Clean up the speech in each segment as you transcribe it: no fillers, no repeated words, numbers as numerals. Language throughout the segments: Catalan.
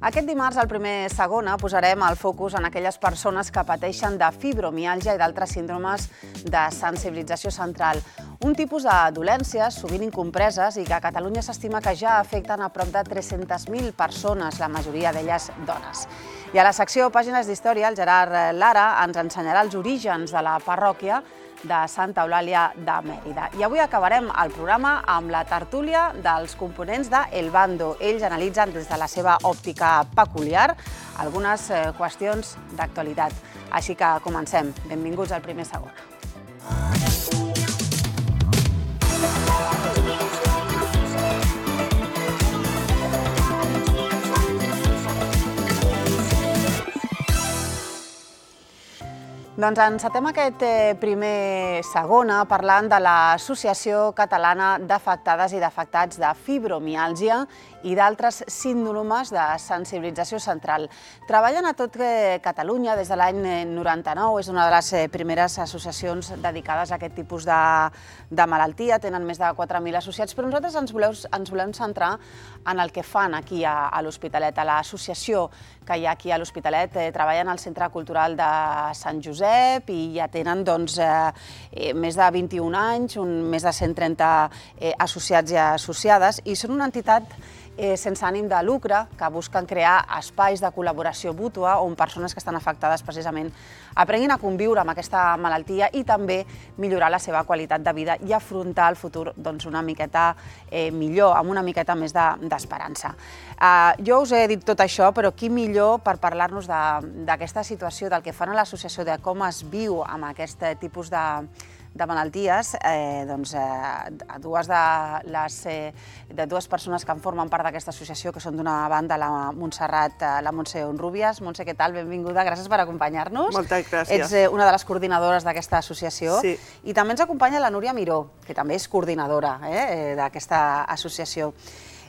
Aquest dimarts, al primer segona, posarem el focus en aquelles persones que pateixen de fibromiàlgia i d'altres síndromes de sensibilització central. Un tipus de dolències sovint incompreses i que a Catalunya s'estima que ja afecten a prop de 300.000 persones, la majoria d'elles dones. I a la secció Pàgines d'Història, el Gerard Lara ens ensenyarà els orígens de la parròquia de Santa Eulàlia de Mèrida. I avui acabarem el programa amb la tertúlia dels components de El Bando. Ells analitzen des de la seva òptica peculiar algunes qüestions d'actualitat. Així que comencem. Benvinguts al primer segona. Doncs encetem aquest primer segona parlant de l'Associació Catalana d'Afectades i d'Afectats de Fibromiàlgia i d'altres síndromes de sensibilització central. Treballen a tot Catalunya des de l'any 99, és una de les primeres associacions dedicades a aquest tipus de malaltia, tenen més de 4.000 associats, però nosaltres ens volem centrar en el que fan aquí a l'Hospitalet. A l'associació que hi ha aquí a l'Hospitalet treballen al Centre Cultural de Sant Josep i ja tenen més de 21 anys, més de 130 associats i associades, i són una entitat sense ànim de lucre que busquen crear espais de col·laboració mútua on persones que estan afectades precisament aprenguin a conviure amb aquesta malaltia i també millorar la seva qualitat de vida i afrontar el futur una miqueta millor, amb una miqueta més d'esperança. Jo us he dit tot això, però qui millor per parlar-nos d'aquesta situació, del que fan a l'associació, de com es viu amb aquest tipus de malalties, a dues persones que en formen part d'aquesta associació, que són d'una banda la Montse Honrúbias. Montse, què tal? Benvinguda, gràcies per acompanyar-nos. Moltes gràcies. Ets una de les coordinadores d'aquesta associació. Sí. I també ens acompanya la Núria Miró, que també és coordinadora d'aquesta associació.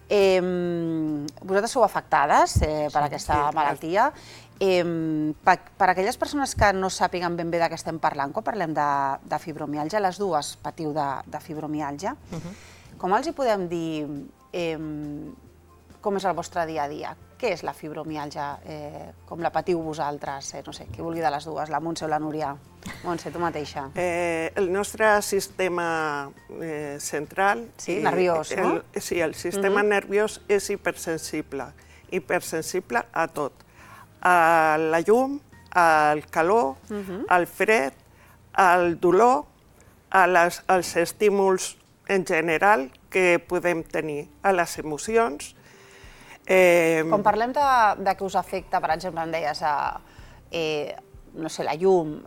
Vosaltres sou afectades per aquesta malaltia. Per aquelles persones que no sàpiguen ben bé de què estem parlant, quan parlem de fibromiàlgia, les dues patiu de fibromiàlgia, com els hi podem dir com és el vostre dia a dia? Què és la fibromiàlgia? Com la patiu vosaltres? No sé, qui vulgui de les dues, la Montse o la Núria. Montse, tu mateixa. El nostre sistema central... Sí, nerviós, no? Sí, el sistema nerviós és hipersensible a tot. A la llum, al calor, al fred, al dolor, als estímuls en general que podem tenir, a les emocions. Quan parlem de que us afecta, per exemple, em deies, no sé, la llum,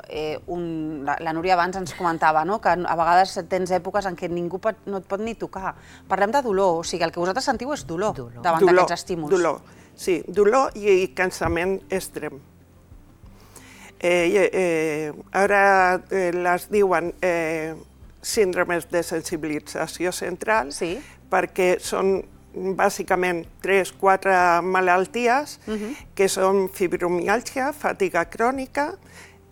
la Núria abans ens comentava que a vegades tens èpoques en què ningú no et pot ni tocar. Parlem de dolor, o sigui, el que vosaltres sentiu és dolor davant d'aquests estímuls. Dolor, sí, dolor i cansament extrem. Ara les diuen síndromes de sensibilització central perquè són bàsicament 3-4 malalties que són fibromiàlgia, fatiga crònica,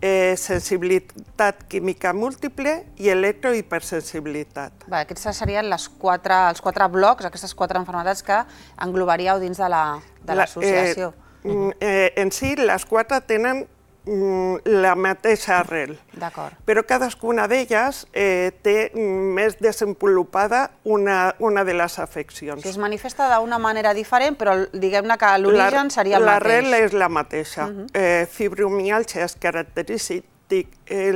sensibilitat química múltiple i electrohipersensibilitat. Aquests serien els 4 blocs, aquestes 4 malalties que englobaríeu dins de l'associació. En si, les 4 tenen la mateixa arrel, però cadascuna d'elles té més desenvolupada una de les afeccions. Es manifesta d'una manera diferent, però diguem-ne que l'origen seria el mateix. L'arrel és la mateixa. Fibromiàlgia és característic,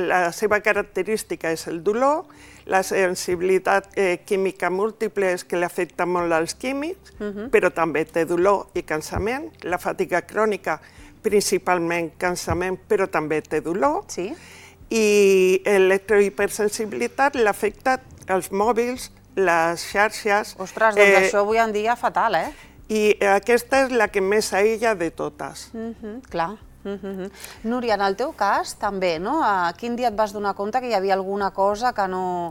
la seva característica és el dolor, la sensibilitat química múltiple és que l'afecta molt als químics, però també té dolor i cansament, la fatiga crònica principalment cansament, però també té dolor, i l'electrohipersensibilitat l'afecta als mòbils, les xarxes... Ostres, doncs això avui en dia fatal, eh? I aquesta és la que més aïlla de totes. Clar. Núria, en el teu cas també, no? Quin dia et vas donar compte que hi havia alguna cosa que no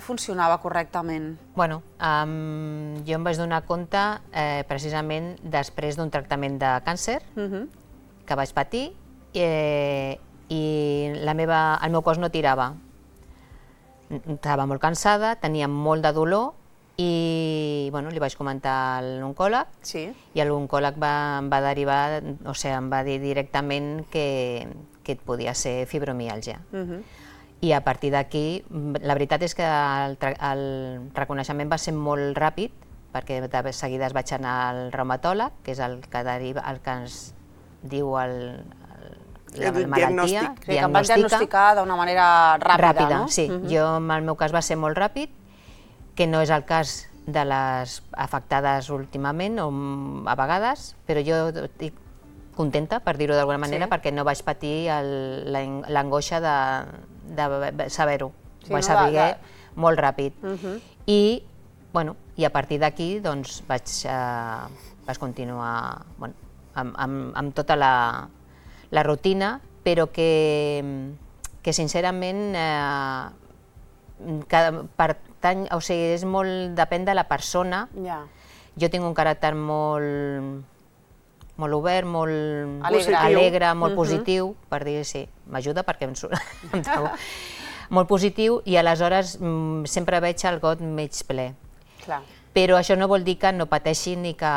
funcionava correctament? Bueno, jo em vaig donar compte precisament després d'un tractament de càncer que vaig patir i el meu cos no tirava. Estava molt cansada, tenia molt de dolor i bueno, li vaig comentar a l'oncòleg i l'oncòleg em va derivar, o sigui, em va dir directament que podia ser fibromiàlgia. I a partir d'aquí, la veritat és que el reconeixement va ser molt ràpid, perquè de seguida es vaig anar al reumatòleg, que és el que ens diu la malaltia, que em van diagnosticar d'una manera ràpida, no? Sí, jo en el meu cas va ser molt ràpid, que no és el cas de les afectades últimament o a vegades, però jo estic contenta, per dir-ho d'alguna manera, perquè no vaig patir l'angoixa de saber-ho. Ho vaig saber molt ràpid. I a partir d'aquí vaig continuar amb tota la rutina, però que sincerament és molt, depèn de la persona. Jo tinc un caràcter molt obert, molt alegre, molt positiu, per dir, sí, m'ajuda perquè em surt molt positiu, i aleshores sempre veig el got mig ple. Però això no vol dir que no pateixi ni que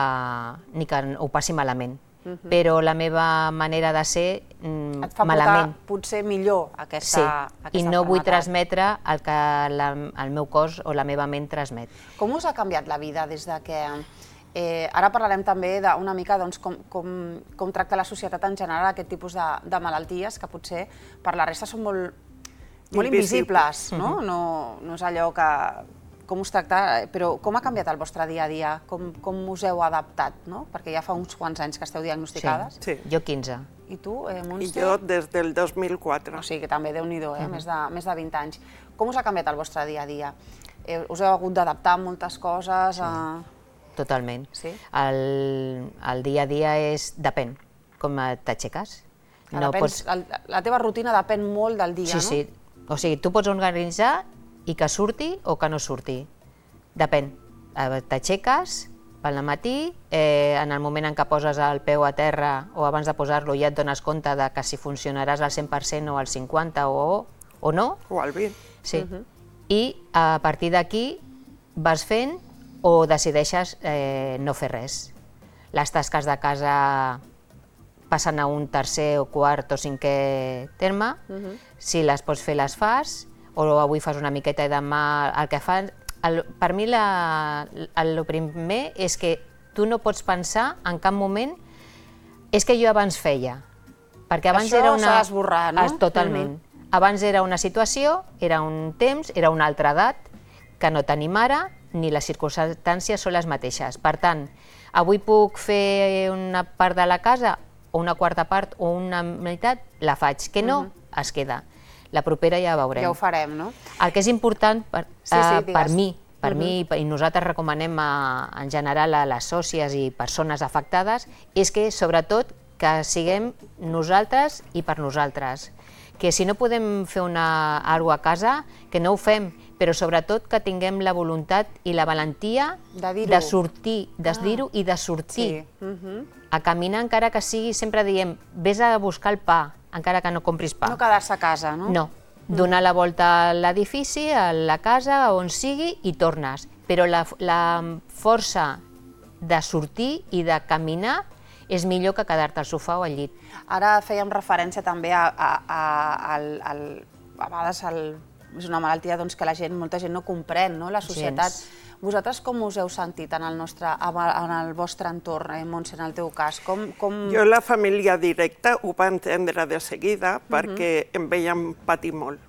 ho passi malament. Però la meva manera de ser malament. Et fa portar potser millor aquesta malaltia. I no vull transmetre el que el meu cos o la meva ment transmet. Com us ha canviat la vida des de que... Ara parlarem també una mica com tracta la societat en general aquest tipus de malalties, que potser per la resta són molt invisibles, no? No és allò que... com us tracta, però com ha canviat el vostre dia a dia? Com us heu adaptat, no? Perquè ja fa uns quants anys que esteu diagnosticades. Sí. Jo 15. I tu, Montse? I jo des del 2004. O sigui que també, Déu-n'hi-do, més de 20 anys. Com us ha canviat el vostre dia a dia? Us heu hagut d'adaptar a moltes coses? Totalment. El dia a dia depèn com t'aixeques. La teva rutina depèn molt del dia, no? Sí, o sigui, tu pots organitzar i que surti o que no surti. Depèn. T'aixeques pel matí, en el moment en què poses el peu a terra o abans de posar-lo ja et dones compte que si funcionaràs al 100% o al 50% o no. O al 20%. Sí. I a partir d'aquí vas fent o decideixes no fer res. Les tasques de casa passen a un tercer o quart o cinquè terme. Si les pots fer, les fas, o avui fas una miqueta i demà el que fas. Per mi el primer és que tu no pots pensar en cap moment és que jo abans feia. Perquè abans era una... Això s'ha d'esborrar, no? Totalment. Abans era una situació, era un temps, era una altra edat, que no tenim ara, ni les circumstàncies són les mateixes. Per tant, avui puc fer una part de la casa, o una quarta part, o una meitat, la faig. Que no, es queda. La propera ja veurem. Ja ho farem, no? El que és important per mi, i nosaltres recomanem en general a les sòcies i persones afectades, és que sobretot que siguem nosaltres i per nosaltres. Que si no podem fer alguna cosa a casa, que no ho fem, però sobretot que tinguem la voluntat i la valentia de sortir, de dir-ho i de sortir. A caminar, encara que sigui, sempre diem, vés a buscar el pa, encara que no compris pa. No quedar-se a casa, no? No. Donar la volta a l'edifici, a la casa, on sigui, i tornes. Però la força de sortir i de caminar és millor que quedar-te al sofà o al llit. Ara fèiem referència també a vegades és una malaltia que molta gent no comprèn, la societat. Vosaltres com us heu sentit en el vostre entorn, Montse, en el teu cas? Jo, la família directa, ho va entendre de seguida perquè em veiem patir molt.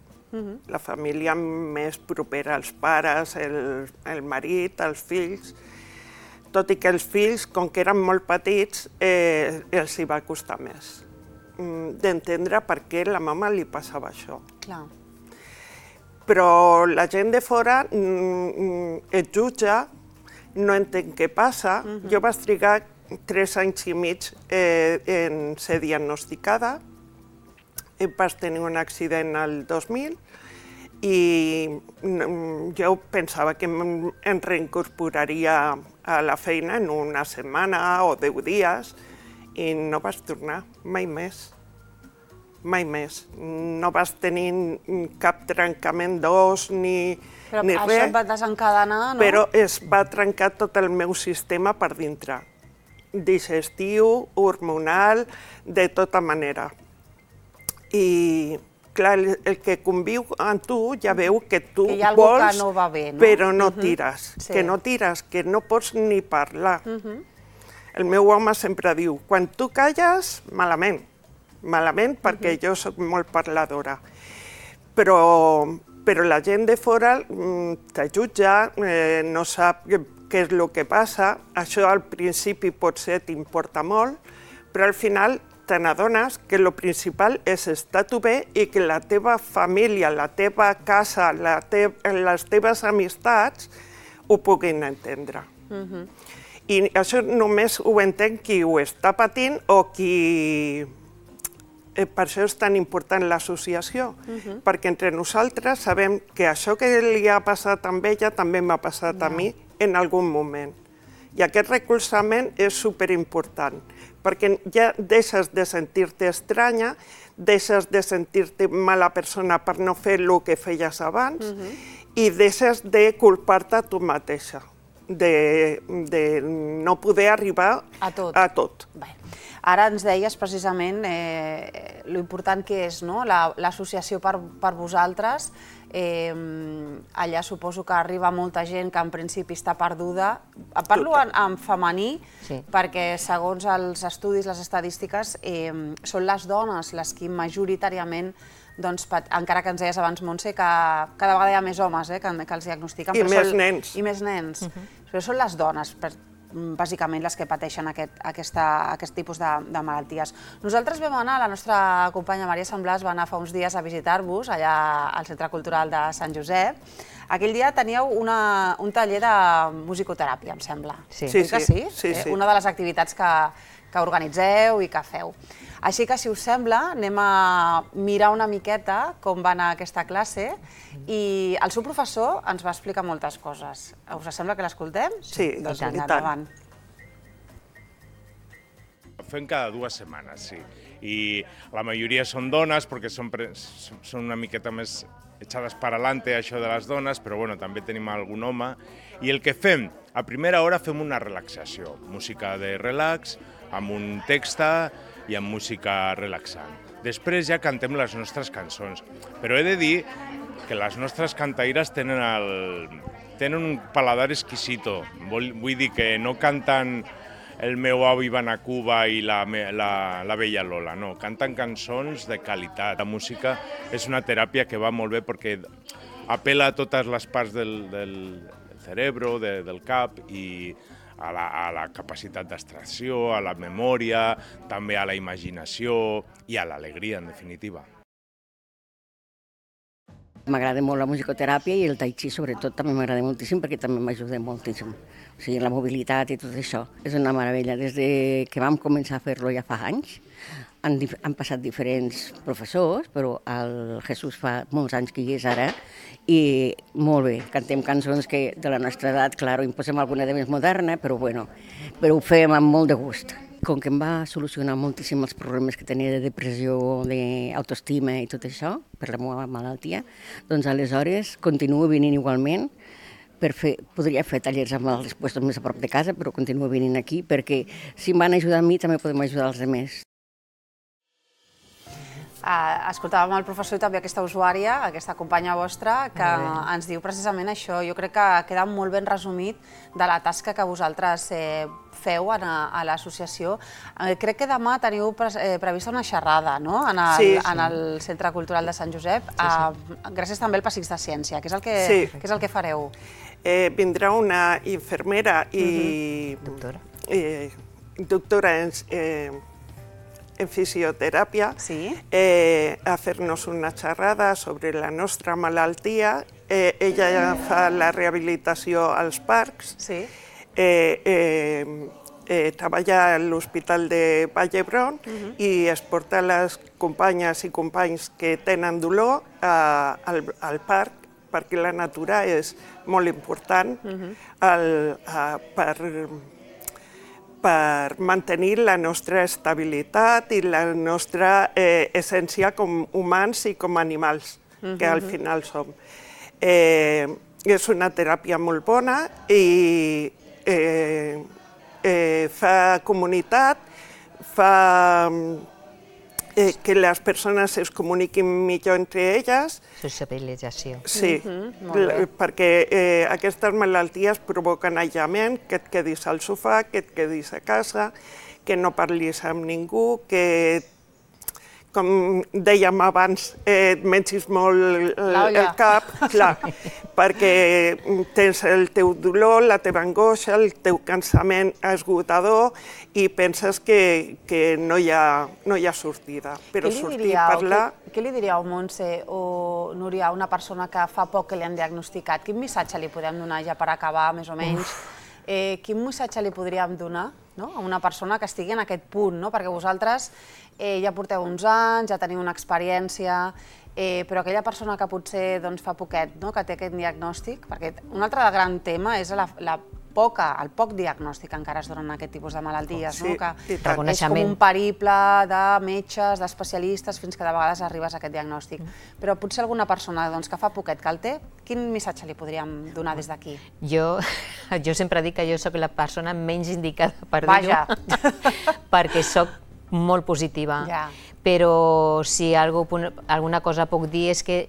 La família més propera, els pares, el marit, els fills. Tot i que els fills, com que eren molt petits, els hi va costar més d'entendre per què a la mama li passava això. Clar. Però la gent de fora et jutja, no entén què passa. Jo vaig trigar 3 anys i mig en ser diagnosticada. Vaig tenir un accident el 2000 i jo pensava que em reincorporaria a la feina en una setmana o 10 dies i no vaig tornar mai més. mai més. No vas tenir cap trencament d'os ni res. Però això et va desencadenar, no? Però es va trencar tot el meu sistema per dintre. Digestiu, hormonal, de tota manera. I, clar, el que conviu amb tu ja veu que tu Que hi ha algú vols, que no va bé, no? però no tires. Sí. Que no tires, que no pots ni parlar. El meu home sempre diu, quan tu calles, malament. Malament perquè jo sóc molt parladora. Però la gent de fora te jutja, no sap què és el que passa. Això al principi potser t'importa molt, però al final te n'adones que el principal és estar tu bé i que la teva família, la teva casa, les teves amistats ho puguin entendre. I això només ho entén qui ho està patint o qui... Per això és tan important l'associació, perquè entre nosaltres sabem que això que li ha passat a ella també m'ha passat a mi en algun moment. I aquest recolzament és superimportant, perquè ja deixes de sentir-te estranya, deixes de sentir-te mala persona per no fer el que feies abans i deixes de culpar-te a tu mateixa, de no poder arribar a tot. Ara ens deies precisament l'important que és l'associació per vosaltres. Allà suposo que arriba molta gent que en principi està perduda. Parlo en femení perquè segons els estudis, les estadístiques, són les dones les que majoritàriament, encara que ens deies abans, Montse, que cada vegada hi ha més homes que els diagnostiquen. I més nens. I més nens. Però són les dones, bàsicament, les que pateixen aquest tipus de malalties. Nosaltres vam anar, la nostra companya Maria Samblàs va anar fa uns dies a visitar-vos allà al Centre Cultural de Sant Josep. Aquell dia teníeu un taller de musicoteràpia, em sembla. Sí. Sí. Una de les activitats que organitzeu i que feu. Així que, si us sembla, anem a mirar una miqueta com va anar aquesta classe i el seu professor ens va explicar moltes coses. Us sembla que l'escoltem? Sí, doncs i tant. Endavant. Fem cada 2 setmanes, sí. I la majoria són dones perquè són una miqueta més echades per adelante, això de les dones, però bueno, també tenim algun home. I el que fem, a primera hora fem una relaxació, música de relax, amb un text i amb música relaxant. Després ja cantem les nostres cançons, però he de dir que les nostres cantaires tenen un paladar exquisito. Vull dir que no canten El meu avi va anar a Cuba i la vella Lola, no, canten cançons de qualitat. La música és una teràpia que va molt bé perquè apela a totes les parts del cerebro, del cap, i a la capacitat d'abstracció, a la memòria, també a la imaginació i a l'alegria, en definitiva. M'agrada molt la musicoteràpia i el tai chi, sobretot, també m'agrada moltíssim perquè també m'ajuda moltíssim. O sigui, la mobilitat i tot això és una meravella. Des que vam començar a fer-lo ja fa anys, han passat diferents professors, però el Jesús fa molts anys que hi és ara, i molt bé, cantem cançons que de la nostra edat, clar, imposem alguna de més moderna, però bueno, però ho fem amb molt de gust. Com que em va solucionar moltíssim els problemes que tenia de depressió, d'autoestima i tot això, per la meva malaltia, doncs aleshores continuo venint igualment. Podria fer tallers amb els puestos més a prop de casa, però continuo venint aquí perquè si em van ajudar a mi també podem ajudar els altres. Escoltàvem el professor i també aquesta usuària, aquesta companya vostra, que ens diu precisament això. Jo crec que queda molt ben resumit de la tasca que vosaltres feu a l'associació. Crec que demà teniu prevista una xerrada en el Centre Cultural de Sant Josep, gràcies també al Passeig de Ciència. Què és el que fareu? Vindrà una infermera i doctora en fisioteràpia a fer-nos una xerrada sobre la nostra malaltia. Ella fa la rehabilitació als parcs, treballa a l'Hospital de Vall d'Hebron i es porta les companyes i companys que tenen dolor al parc perquè la natura és molt important per mantenir la nostra estabilitat i la nostra essència com humans i com animals, que al final som. És una teràpia molt bona i fa comunitat, fa que les persones es comuniquin millor entre elles. Sociabilització. Sí, perquè aquestes malalties provoquen aïllament, que et quedis al sofà, que et quedis a casa, que no parlis amb ningú, que, com dèiem abans, et mencis molt el cap, clar, perquè tens el teu dolor, la teva angoixa, el teu cansament esgotador i penses que no hi ha sortida. Però sortir i parlar... Què li diríeu, Montse o Núria, a una persona que fa poc que li han diagnosticat? Quin missatge li podem donar ja per acabar, més o menys? Quin missatge li podríem donar a una persona que estigui en aquest punt? Perquè vosaltres ja porteu uns anys, ja teniu una experiència, però aquella persona que potser fa poquet que té aquest diagnòstic, perquè un altre gran tema és el poc diagnòstic que encara es donen aquest tipus de malalties, que és com un periple de metges, d'especialistes, fins que de vegades arribes a aquest diagnòstic. Però potser alguna persona que fa poquet que el té, quin missatge li podríem donar des d'aquí? Jo sempre dic que jo soc la persona menys indicada per dir-ho, perquè soc molt positiva. Però si alguna cosa puc dir és que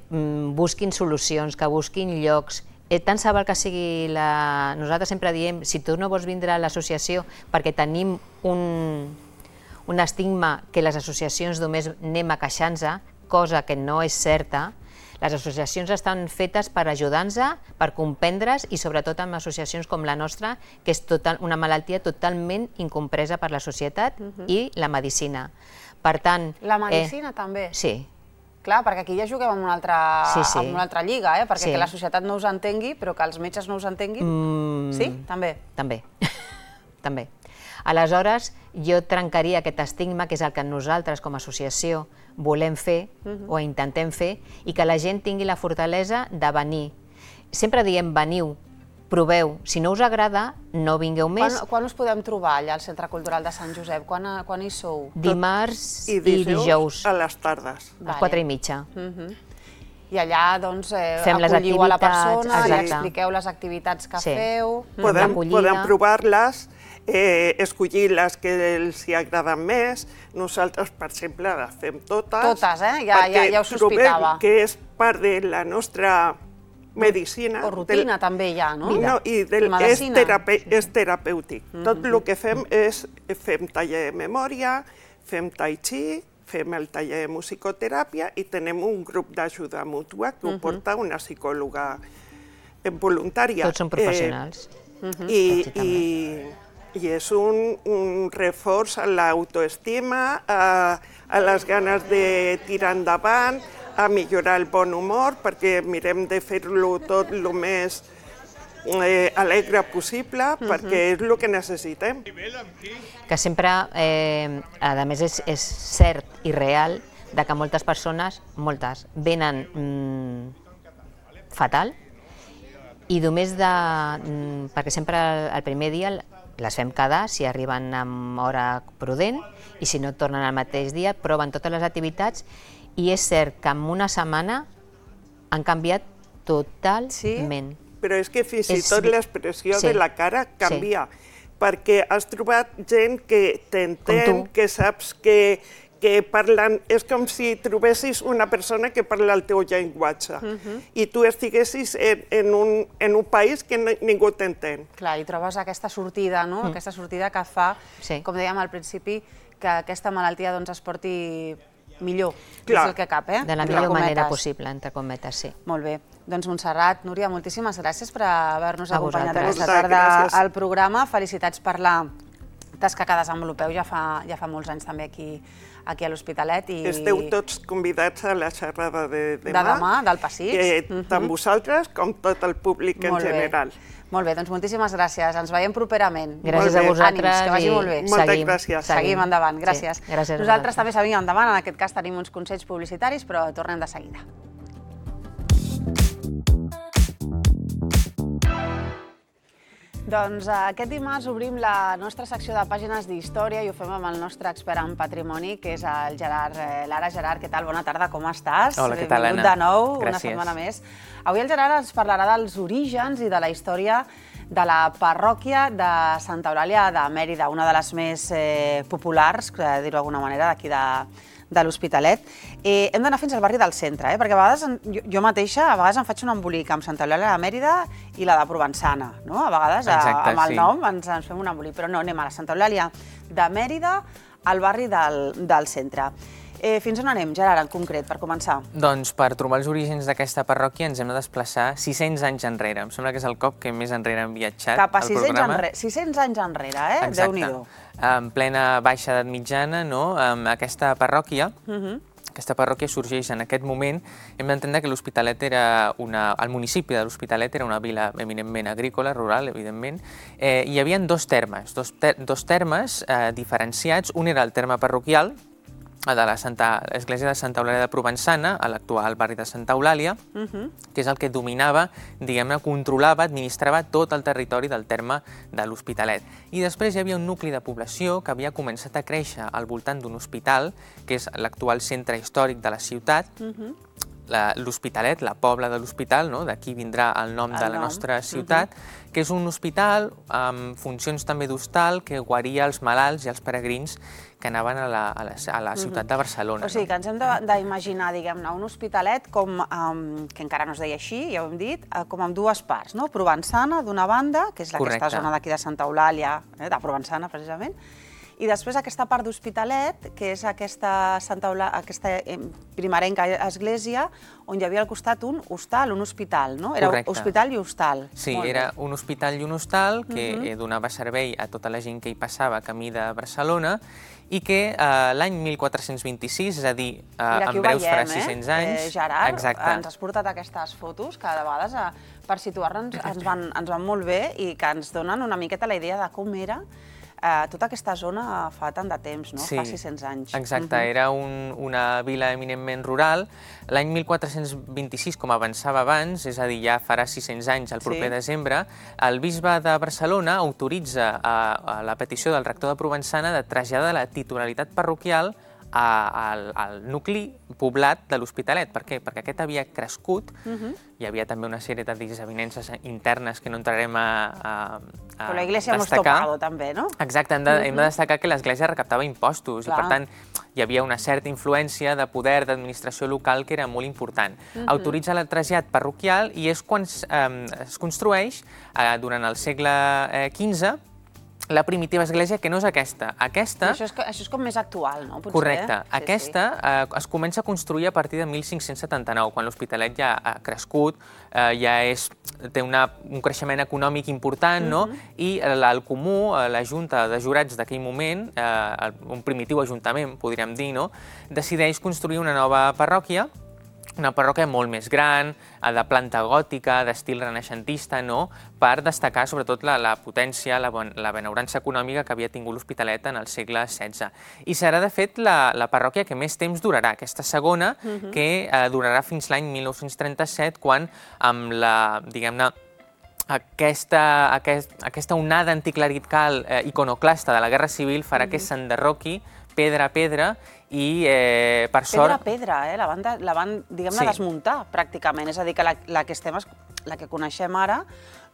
busquin solucions, que busquin llocs. Tant se val que sigui Nosaltres sempre diem, si tu no vols vindre a l'associació perquè tenim un estigma que les associacions només anem a queixar-nos, cosa que no és certa. Les associacions estan fetes per ajudar-nos, per comprendre's i sobretot amb associacions com la nostra, que és una malaltia totalment incompresa per la societat i la medicina. Per tant... La medicina també? Sí. Clar, perquè aquí ja juguem en una altra lliga, perquè que la societat no us entengui, però que els metges no us entenguin. Sí? També? També. Aleshores, jo trencaria aquest estigma, que és el que nosaltres com a associació volem fer o intentem fer, i que la gent tingui la fortalesa de venir. Sempre diem veniu, proveu. Si no us agrada, no vingueu més. Quan us podem trobar allà al Centre Cultural de Sant Josep? Quan hi sou? Dimarts i dijous. A les tardes. A les 4:30. I allà, doncs, acolliu a la persona, li expliqueu les activitats que feu. Podem provar-les, escollir les que els agraden més. Nosaltres, per exemple, les fem totes. Totes, ja ho sospitava. Perquè trobem que és part de la nostra medicina. O rutina també ja, no? I és terapèutic. Tot el que fem és fem taller de memòria, fem tai chi, fem el taller de musicoteràpia i tenem un grup d'ajuda mútua que ho porta una psicòloga voluntària. Tots són professionals. I és un reforç a l'autoestima, a les ganes de tirar endavant, a millorar el bon humor, perquè mirem de fer-lo tot el més alegre possible, perquè és el que necessitem. Que sempre, a més, és cert i real que moltes persones, venen fatal i només perquè sempre el primer dia les fem quedar, si arriben amb hora prudent, i si no tornen al mateix dia, proven totes les activitats. I és cert que en una setmana han canviat totalment. Però és que fins i tot l'expressió de la cara canvia, perquè has trobat gent que t'entén, que saps que parlen... És com si trobessis una persona que parla el teu llenguatge i tu estiguessis en un país que ningú t'entén. Clar, i trobes aquesta sortida, no? Aquesta sortida que fa, com dèiem al principi, que aquesta malaltia es porti millor, és el que cap, de la millor manera possible, entre cometes, sí. Molt bé. Doncs Montserrat, Núria, moltíssimes gràcies per haver-nos acompanyat aquesta tarda al programa. Felicitats per la tasca que desenvolupeu ja fa molts anys també aquí a l'Hospitalet. Esteu tots convidats a la xerrada de demà. De demà, del passeig. Tant vosaltres com tot el públic en general. Molt bé, doncs moltíssimes gràcies. Ens veiem properament. Gràcies a vosaltres. Ànims, que vagi molt bé. Moltes gràcies. Seguim endavant, gràcies. Gràcies a nosaltres també seguim endavant, en aquest cas tenim uns consells publicitaris, però tornem de seguida. Doncs aquest dimarts obrim la nostra secció de pàgines d'història i ho fem amb el nostre expert en patrimoni, que és el Gerard Lara. Gerard, què tal? Bona tarda, com estàs? Hola, què tal, Anna? Benvingut de nou, Gràcies. una setmana més. Avui el Gerard ens parlarà dels orígens i de la història de la parròquia de Santa Eulàlia de Mèrida, una de les més populars, dir-ho d'alguna manera, d'aquí de l'Hospitalet. Hem d'anar fins al barri del centre, perquè a vegades jo mateixa em faig un embolic amb Santa Eulàlia de Mèrida i la de Provençana, no? A vegades amb el nom ens fem un embolic, però no, anem a la Santa Eulàlia de Mèrida, al barri del centre. Fins on anem, Gerard, en concret, per començar? Doncs per trobar els orígens d'aquesta parròquia ens hem de desplaçar 600 anys enrere. Em sembla que és el cop que més enrere hem viatjat Cap a al programa. 600 anys enrere, Déu-n'hi-do. En plena baixa edat mitjana, aquesta parròquia sorgeix en aquest moment. Hem d'entendre que l'Hospitalet el municipi de l'Hospitalet era una vila eminentment agrícola, rural, evidentment. Hi havia dos termes diferenciats. Un era el terme parroquial, de l'església de Santa Eulàlia de Provençana, a l'actual barri de Santa Eulàlia, que és el que dominava, diguem-ne, controlava, administrava tot el territori del terme de l'Hospitalet. I després hi havia un nucli de població que havia començat a créixer al voltant d'un hospital, que és l'actual centre històric de la ciutat, l'Hospitalet, la Pobla de l'Hospital, d'aquí vindrà el nom de la nostra ciutat, que és un hospital amb funcions també d'hostal que guaria els malalts i els peregrins que anaven a la ciutat de Barcelona. O sigui, que ens hem d'imaginar, diguem-ne, un hospitalet que encara no es deia així, ja ho hem dit, com amb dues parts, no? Provençana, d'una banda, que és aquesta zona d'aquí de Santa Eulàlia, de Provençana, precisament, i després aquesta part d'Hospitalet, que és aquesta primerenca església, on hi havia al costat un hostal, un hospital, no? Era hospital i hostal. Sí, era un hospital i un hostal que donava servei a tota la gent que hi passava camí de Barcelona i que l'any 1426, és a dir, en breus farà 600 anys... Gerard, ens has portat aquestes fotos que de vegades, per situar-nos, ens van molt bé i que ens donen una miqueta la idea de com era tota aquesta zona fa tant de temps, no? Fa 600 anys. Exacte, era una vila eminentment rural. L'any 1426, com avançava abans, és a dir, ja farà 600 anys, el proper desembre, el bisbe de Barcelona autoritza a la petició del rector de Provençana de traslladar la titularitat parroquial al nucli poblat de l'Hospitalet. Per què? Perquè aquest havia crescut, hi havia també una sèrie de desavinences internes que no entrarem a destacar. Però la Iglesia hemos topado, també, no? Exacte, hem de destacar que l'Església recaptava impostos i, per tant, hi havia una certa influència de poder d'administració local que era molt important. Autoritza el trasllat parroquial i és quan es construeix, durant el segle XV, la primitiva església, que no és aquesta. Això és com més actual, no? Correcte. Aquesta es comença a construir a partir de 1579, quan l'Hospitalet ja ha crescut, ja té un creixement econòmic important, i el Comú, la Junta de Jurats d'aquell moment, un primitiu ajuntament, podríem dir, decideix construir una nova parròquia, una parròquia molt més gran, de planta gòtica, d'estil renaixentista, per destacar sobretot la potència, la benaurança econòmica que havia tingut l'Hospitalet en el segle XVI. I serà, de fet, la parròquia que més temps durarà, aquesta segona, que durarà fins l'any 1937, quan amb la, diguem-ne, aquesta onada anticlerical iconoclasta de la Guerra Civil farà que s'enderroqui pedra a pedra i, per sort... Pedra a pedra, la van, diguem-ne, desmuntar, pràcticament. És a dir, que la que coneixem ara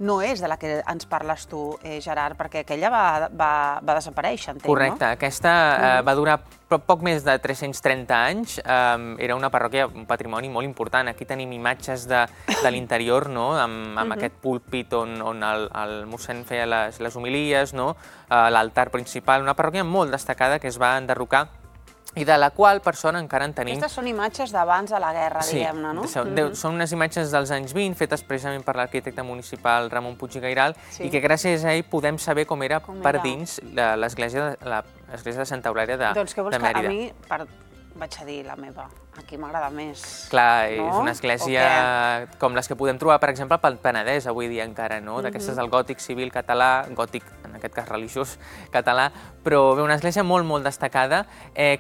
no és de la que ens parles tu, Gerard, perquè aquella va desaparèixer, entenc, no? Correcte. Aquesta va durar poc més de 330 anys. Era una parròquia, un patrimoni molt important. Aquí tenim imatges de l'interior, amb aquest púlpit on el mossèn feia les homilies, l'altar principal. Una parròquia molt destacada que es va enderrocar i de la qual, per sort, encara en tenim... Aquestes són imatges d'abans de la guerra, diguem-ne, no? Sí, són unes imatges dels anys 20, fetes precisament per l'arquitecte municipal Ramon Puig i Gairal, i que gràcies a ell podem saber com era per dins l'església de Santa Eulàlia de Mèrida. Doncs què vols que a mi, vaig a dir la meva. Aquí m'agrada més. Clar, és una església com les que podem trobar, per exemple, pel Penedès avui dia encara, no? D'aquestes del gòtic civil català, gòtic, en aquest cas religiós català, però bé, una església molt, molt destacada.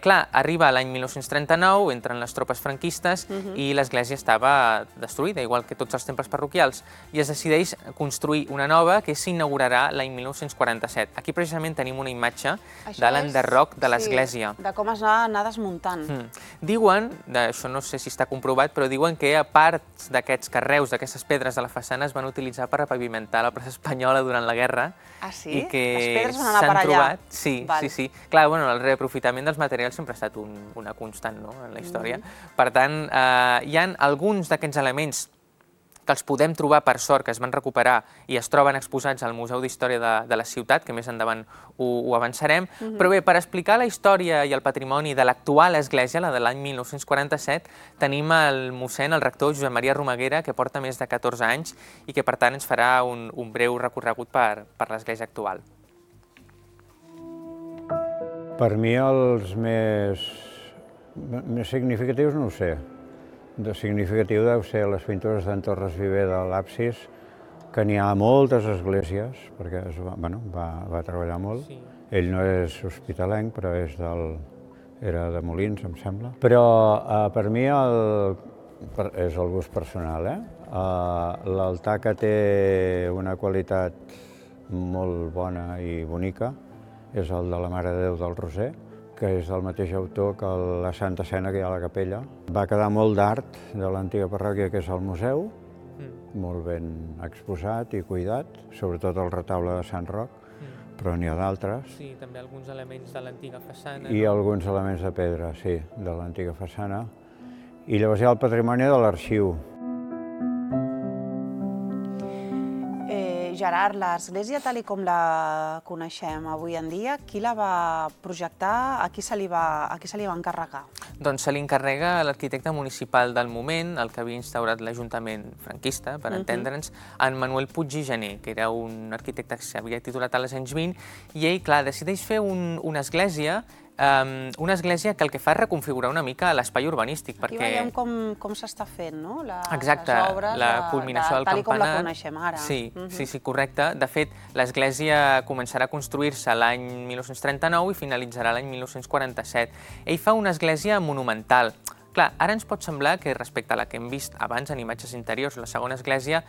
Clar, arriba l'any 1939, entren les tropes franquistes i l'església estava destruïda, igual que tots els temples parroquials, i es decideix construir una nova que s'inaugurarà l'any 1947. Aquí precisament tenim una imatge de l'enderroc de l'església. De com es va anar desmuntant. Diuen, això no sé si està comprovat, però diuen que a parts d'aquests carreus, d'aquestes pedres de la façana es van utilitzar per repavimentar la plaça Espanyola durant la guerra. Ah, sí? I que les pedres van anar per allà? Trobat, sí. Clar, el reaprofitament dels materials sempre ha estat una constant en la història. Per tant, hi ha alguns d'aquests elements que els podem trobar, per sort, que es van recuperar i es troben exposats al Museu d'Història de la ciutat, que més endavant ho avançarem. Però bé, per explicar la història i el patrimoni de l'actual església, la de l'any 1947, tenim el mossèn, el rector Josep Maria Romaguera, que porta més de 14 anys i que, per tant, ens farà un breu recorregut per l'església actual. Per mi els més significatius no ho sé. De significatiu deu ser les pintures d'en Torres Viver de l'absis, que n'hi ha moltes esglésies, perquè va treballar molt. Ell no és hospitalenc, però era de Molins, em sembla. Però per mi és el gust personal. L'altar que té una qualitat molt bona i bonica és el de la Mare de Déu del Roser, que és del mateix autor que la Santa Escena que hi ha a la capella. Va quedar molt d'art de l'antiga parròquia, que és el museu, molt ben exposat i cuidat, sobretot el retaule de Sant Roc, però n'hi ha d'altres. Sí, també alguns elements de l'antiga façana. I alguns elements de pedra, sí, de l'antiga façana. I llavors hi ha el patrimoni de l'arxiu. Gerard, l'església tal com la coneixem avui en dia, qui la va projectar, a qui se li va encarregar? Doncs se li encarrega l'arquitecte municipal del moment, el que havia instaurat l'Ajuntament franquista, per entendre'ns, en Manuel Puig i Gené, que era un arquitecte que s'havia titulat als anys 20, i ell, clar, decideix fer una església que el que fa és reconfigurar una mica l'espai urbanístic. Aquí veiem com s'està fent, no? Exacte, la culminació del campanar. Tal com la coneixem ara. Sí, correcte. De fet, l'església començarà a construir-se l'any 1939 i finalitzarà l'any 1947. Ell fa una església monumental. Clar, ara ens pot semblar que respecte a la que hem vist abans en imatges interiors, la segona església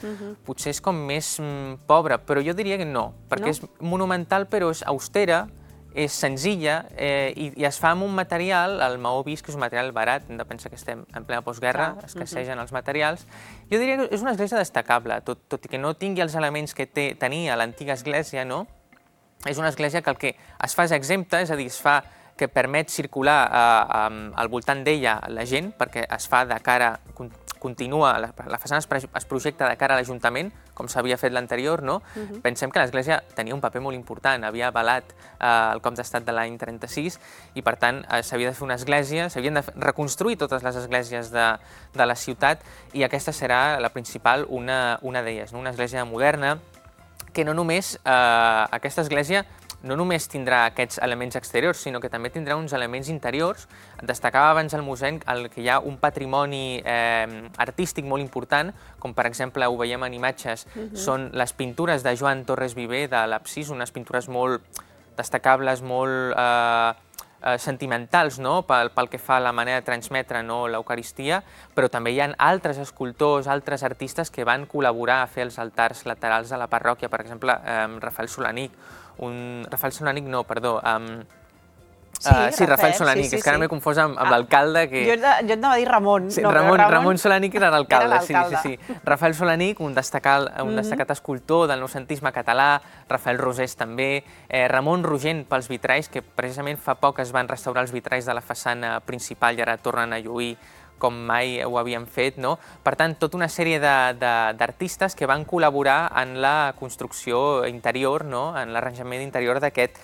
potser és com més pobra, però jo diria que no, perquè és monumental però és austera, és senzilla i es fa amb un material, el maó vist, que és un material barat, hem de pensar que estem en plena postguerra, escassegen els materials. Jo diria que és una església destacable, tot i que no tingui els elements que tenia l'antiga església, no? És una església que el que es fa és exempta, és a dir, es fa que permet circular al voltant d'ella la gent, perquè es fa de cara, continua, la façana es projecta de cara a l'Ajuntament, com s'havia fet l'anterior, no? Pensem que l'església tenia un paper molt important, havia avalat el cop d'estat de l'any 36 i, per tant, s'havia de fer una església, s'havien de reconstruir totes les esglésies de la ciutat i aquesta serà la principal, una d'elles, una església moderna, que no només aquesta església no només tindrà aquests elements exteriors, sinó que també tindrà uns elements interiors. Destacava abans el mossèn que hi ha un patrimoni artístic molt important, com per exemple ho veiem en imatges, són les pintures de Joan Torres Viver de l'absis, unes pintures molt destacables, molt sentimentals, pel que fa a la manera de transmetre l'Eucaristia, però també hi ha altres escultors, altres artistes que van col·laborar a fer els altars laterals de la parròquia, per exemple, Rafael Solanic, Rafael Solanic no, perdó, sí, Rafael Solanic, és que ara m'he confós amb l'alcalde que... Jo et anava a dir Ramon. Ramon Solanic era l'alcalde, sí. Rafael Solanic, un destacat escultor del noucentisme català, Rafael Rosés també, Ramon Rogent pels vitralls, que precisament fa poc es van restaurar els vitralls de la façana principal i ara tornen a lluir com mai ho havien fet, no? Per tant, tota una sèrie d'artistes que van col·laborar en la construcció interior, en l'arranjament interior d'aquest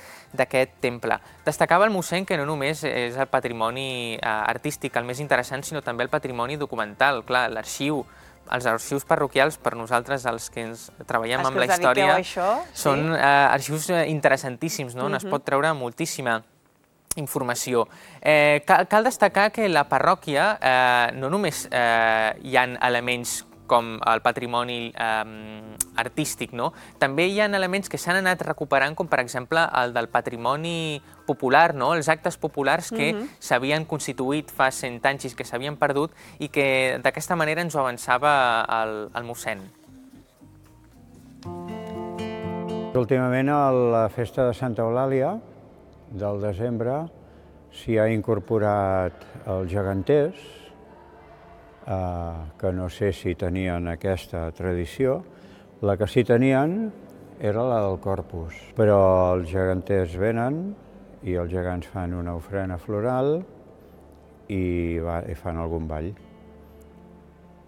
temple. Destacava el mossèn que no només és el patrimoni artístic el més interessant, sinó també el patrimoni documental. Clar, l'arxiu, els arxius parroquials, per nosaltres, els que ens treballem amb la història, són arxius interessantíssims, no? Es pot treure moltíssima. informació. Cal destacar que la parròquia no només hi ha elements com el patrimoni artístic, no? També hi ha elements que s'han anat recuperant, com per exemple el del patrimoni popular, no? Els actes populars que s'havien constituït fa 100 anys i que s'havien perdut i que d'aquesta manera ens ho avançava el mossèn. Últimament a la festa de Santa Eulàlia del desembre s'hi ha incorporat els geganters, que no sé si tenien aquesta tradició. La que sí tenien era la del Corpus, però els geganters venen i els gegants fan una ofrena floral i fan algun ball.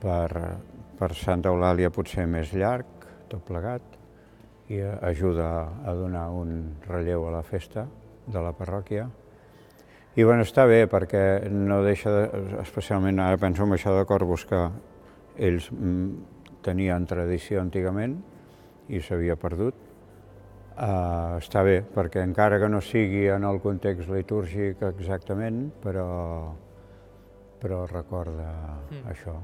Per Santa Eulàlia potser més llarg, tot plegat, i ajuda a donar un relleu a la festa de la parròquia. I bueno, està bé perquè no deixa, especialment ara penso en això de Corpus, que ells tenien tradició antigament i s'havia perdut. Està bé perquè encara que no sigui en el context litúrgic exactament, però recorda això,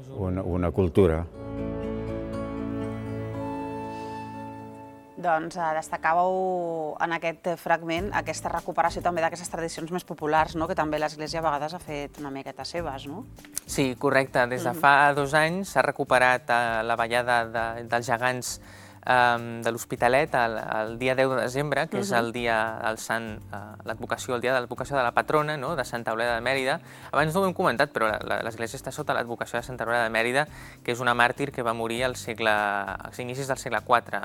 una cultura. Doncs destacàveu en aquest fragment aquesta recuperació també d'aquestes tradicions més populars, que també l'Església a vegades ha fet una miqueta seves, no? Sí, correcte. Des de fa 2 anys s'ha recuperat la ballada dels gegants de l'Hospitalet el dia 10 de desembre, que és el dia del sant, l'advocació, el dia de l'advocació de la patrona, de Santa Eulàlia de Mèrida. Abans no ho hem comentat, però l'Església està sota l'advocació de Santa Eulàlia de Mèrida, que és una màrtir que va morir als inicis del segle IV,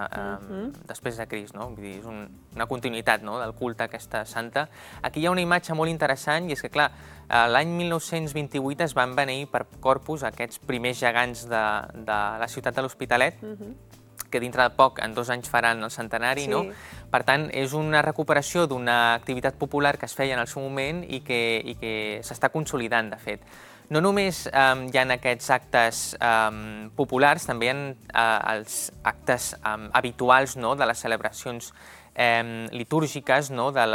després de Crist. Vull dir, és una continuïtat del culte a aquesta santa. Aquí hi ha una imatge molt interessant, i és que, clar, l'any 1928 es van beneir per Corpus aquests primers gegants de la ciutat de l'Hospitalet, que dintre de poc, en 2 anys, faran el centenari, no? Per tant, és una recuperació d'una activitat popular que es feia en el seu moment i que s'està consolidant, de fet. No només hi ha aquests actes populars, també hi ha els actes habituals de les celebracions litúrgiques de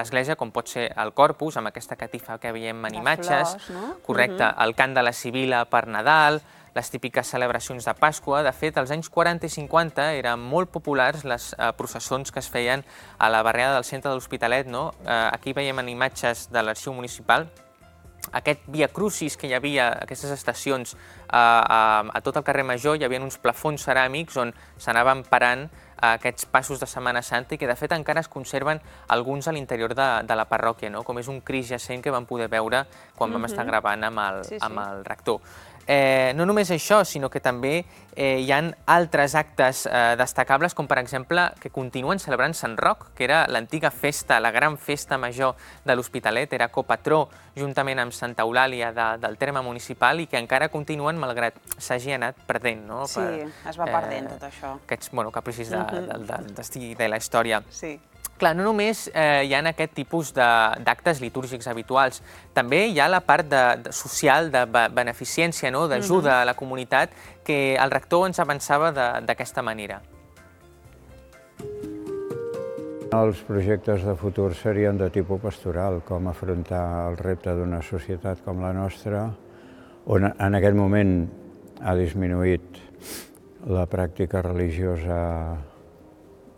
l'Església, com pot ser el Corpus, amb aquesta catifa que veiem en imatges, correcte, el cant de la Sibila per Nadal, les típiques celebracions de Pasqua. De fet, als anys 40 i 50 eren molt populars les processons que es feien a la barriada del centre de l'Hospitalet. Aquí veiem en imatges de l'arxiu municipal aquest Via Crucis que hi havia, aquestes estacions a tot el carrer Major, hi havia uns plafons ceràmics on s'anaven parant aquests passos de Setmana Santa i que de fet encara es conserven alguns a l'interior de la parròquia, com és un Crist jacent que vam poder veure quan vam estar gravant amb el rector. No només això, sinó que també hi ha altres actes destacables, com per exemple que continuen celebrant Sant Roc, que era l'antiga festa, la gran festa major de l'Hospitalet, era copatró juntament amb Santa Eulàlia del terme municipal i que encara continuen malgrat s'hagi anat perdent. Sí, es va perdent tot això. Aquests capricis del destí de la història. Sí. Clar, no només hi ha aquest tipus d'actes litúrgics habituals, també hi ha la part social, de beneficència, d'ajuda a la comunitat, que el rector ens avançava d'aquesta manera. Els projectes de futur serien de tipus pastoral, com afrontar el repte d'una societat com la nostra, on en aquest moment ha disminuït la pràctica religiosa,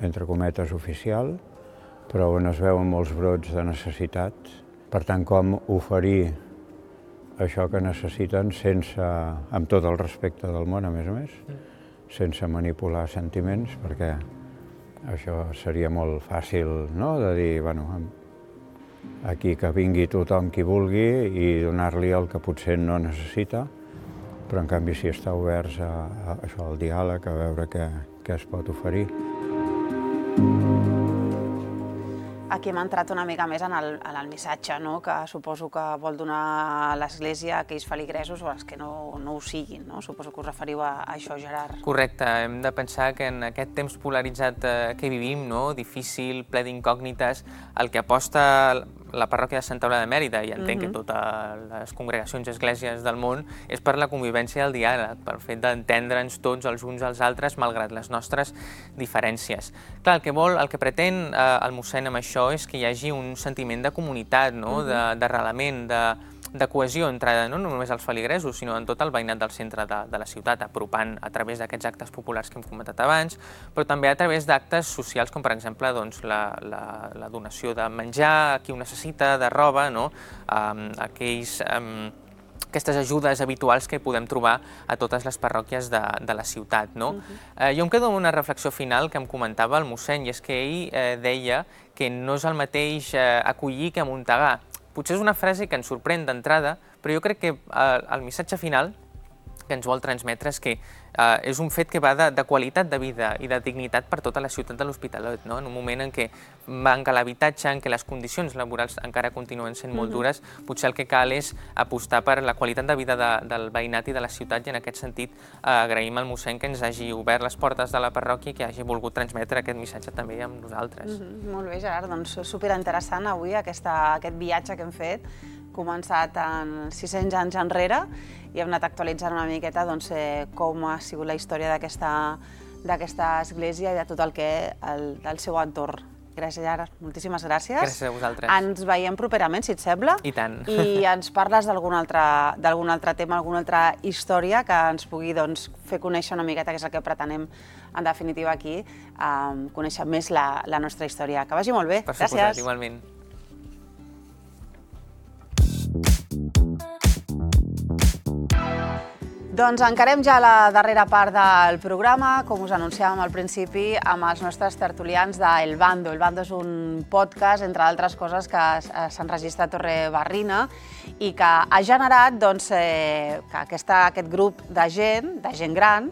entre cometes, oficial, però on es veuen molts brots de necessitat. Per tant, com oferir això que necessiten amb tot el respecte del món, a més, sense manipular sentiments, perquè això seria molt fàcil de dir, aquí que vingui tothom qui vulgui i donar-li el que potser no necessita, però en canvi si està oberts al diàleg, a veure què es pot oferir. Aquí hem entrat una mica més en el missatge que suposo que vol donar l'Església a aquells feligresos o als que no ho siguin. Suposo que us referiu a això, Gerard. Correcte. Hem de pensar que en aquest temps polaritzat que vivim, difícil, ple d'incògnites, el que aposta la parròquia de Santa Eulàlia de Mèrida, i entenc que totes les congregacions i esglésies del món, és per la convivència i el diàleg, pel fet d'entendre'ns tots els uns als altres, malgrat les nostres diferències. Clar, el que pretén el mossèn amb això és que hi hagi un sentiment de comunitat, d'arrelament, de cohesió entre no només els feligresos, sinó en tot el veïnat del centre de la ciutat, apropant a través d'aquests actes populars que hem comentat abans, però també a través d'actes socials com, per exemple, la donació de menjar a qui ho necessita, de roba, aquestes ajudes habituals que podem trobar a totes les parròquies de la ciutat. Jo em quedo amb una reflexió final que em comentava el mossèn, i és que ell deia que no és el mateix acollir que amuntegar. Potser és una frase que ens sorprèn d'entrada, però jo crec que el missatge final que ens vol transmetre és que és un fet que va de qualitat de vida i de dignitat per tota la ciutat de l'Hospitalet, en un moment en què manca l'habitatge, en què les condicions laborals encara continuen sent molt dures, potser el que cal és apostar per la qualitat de vida del veïnat i de la ciutat, i en aquest sentit agraïm al mossèn que ens hagi obert les portes de la parròquia i que hagi volgut transmetre aquest missatge també amb nosaltres. Molt bé, Gerard, doncs superinteressant avui aquest viatge que hem fet, començat en 600 anys enrere, i hem anat actualitzant una miqueta com ha sigut la història d'aquesta església i de tot el seu entorn. Gràcies, Gerard. Moltíssimes gràcies. Gràcies a vosaltres. Ens veiem properament, si et sembla. I tant. I ens parles d'algun altre tema, alguna altra història que ens pugui fer conèixer una miqueta, que és el que pretenem, en definitiva, aquí, conèixer més la nostra història. Que vagi molt bé. Per suposat, igualment. Doncs encarem ja la darrera part del programa, com us anunciàvem al principi, amb els nostres tertulians d'El Bando. El Bando és un podcast, entre altres coses, que s'enregistra a Torre Barrina i que ha generat que aquest grup de gent gran,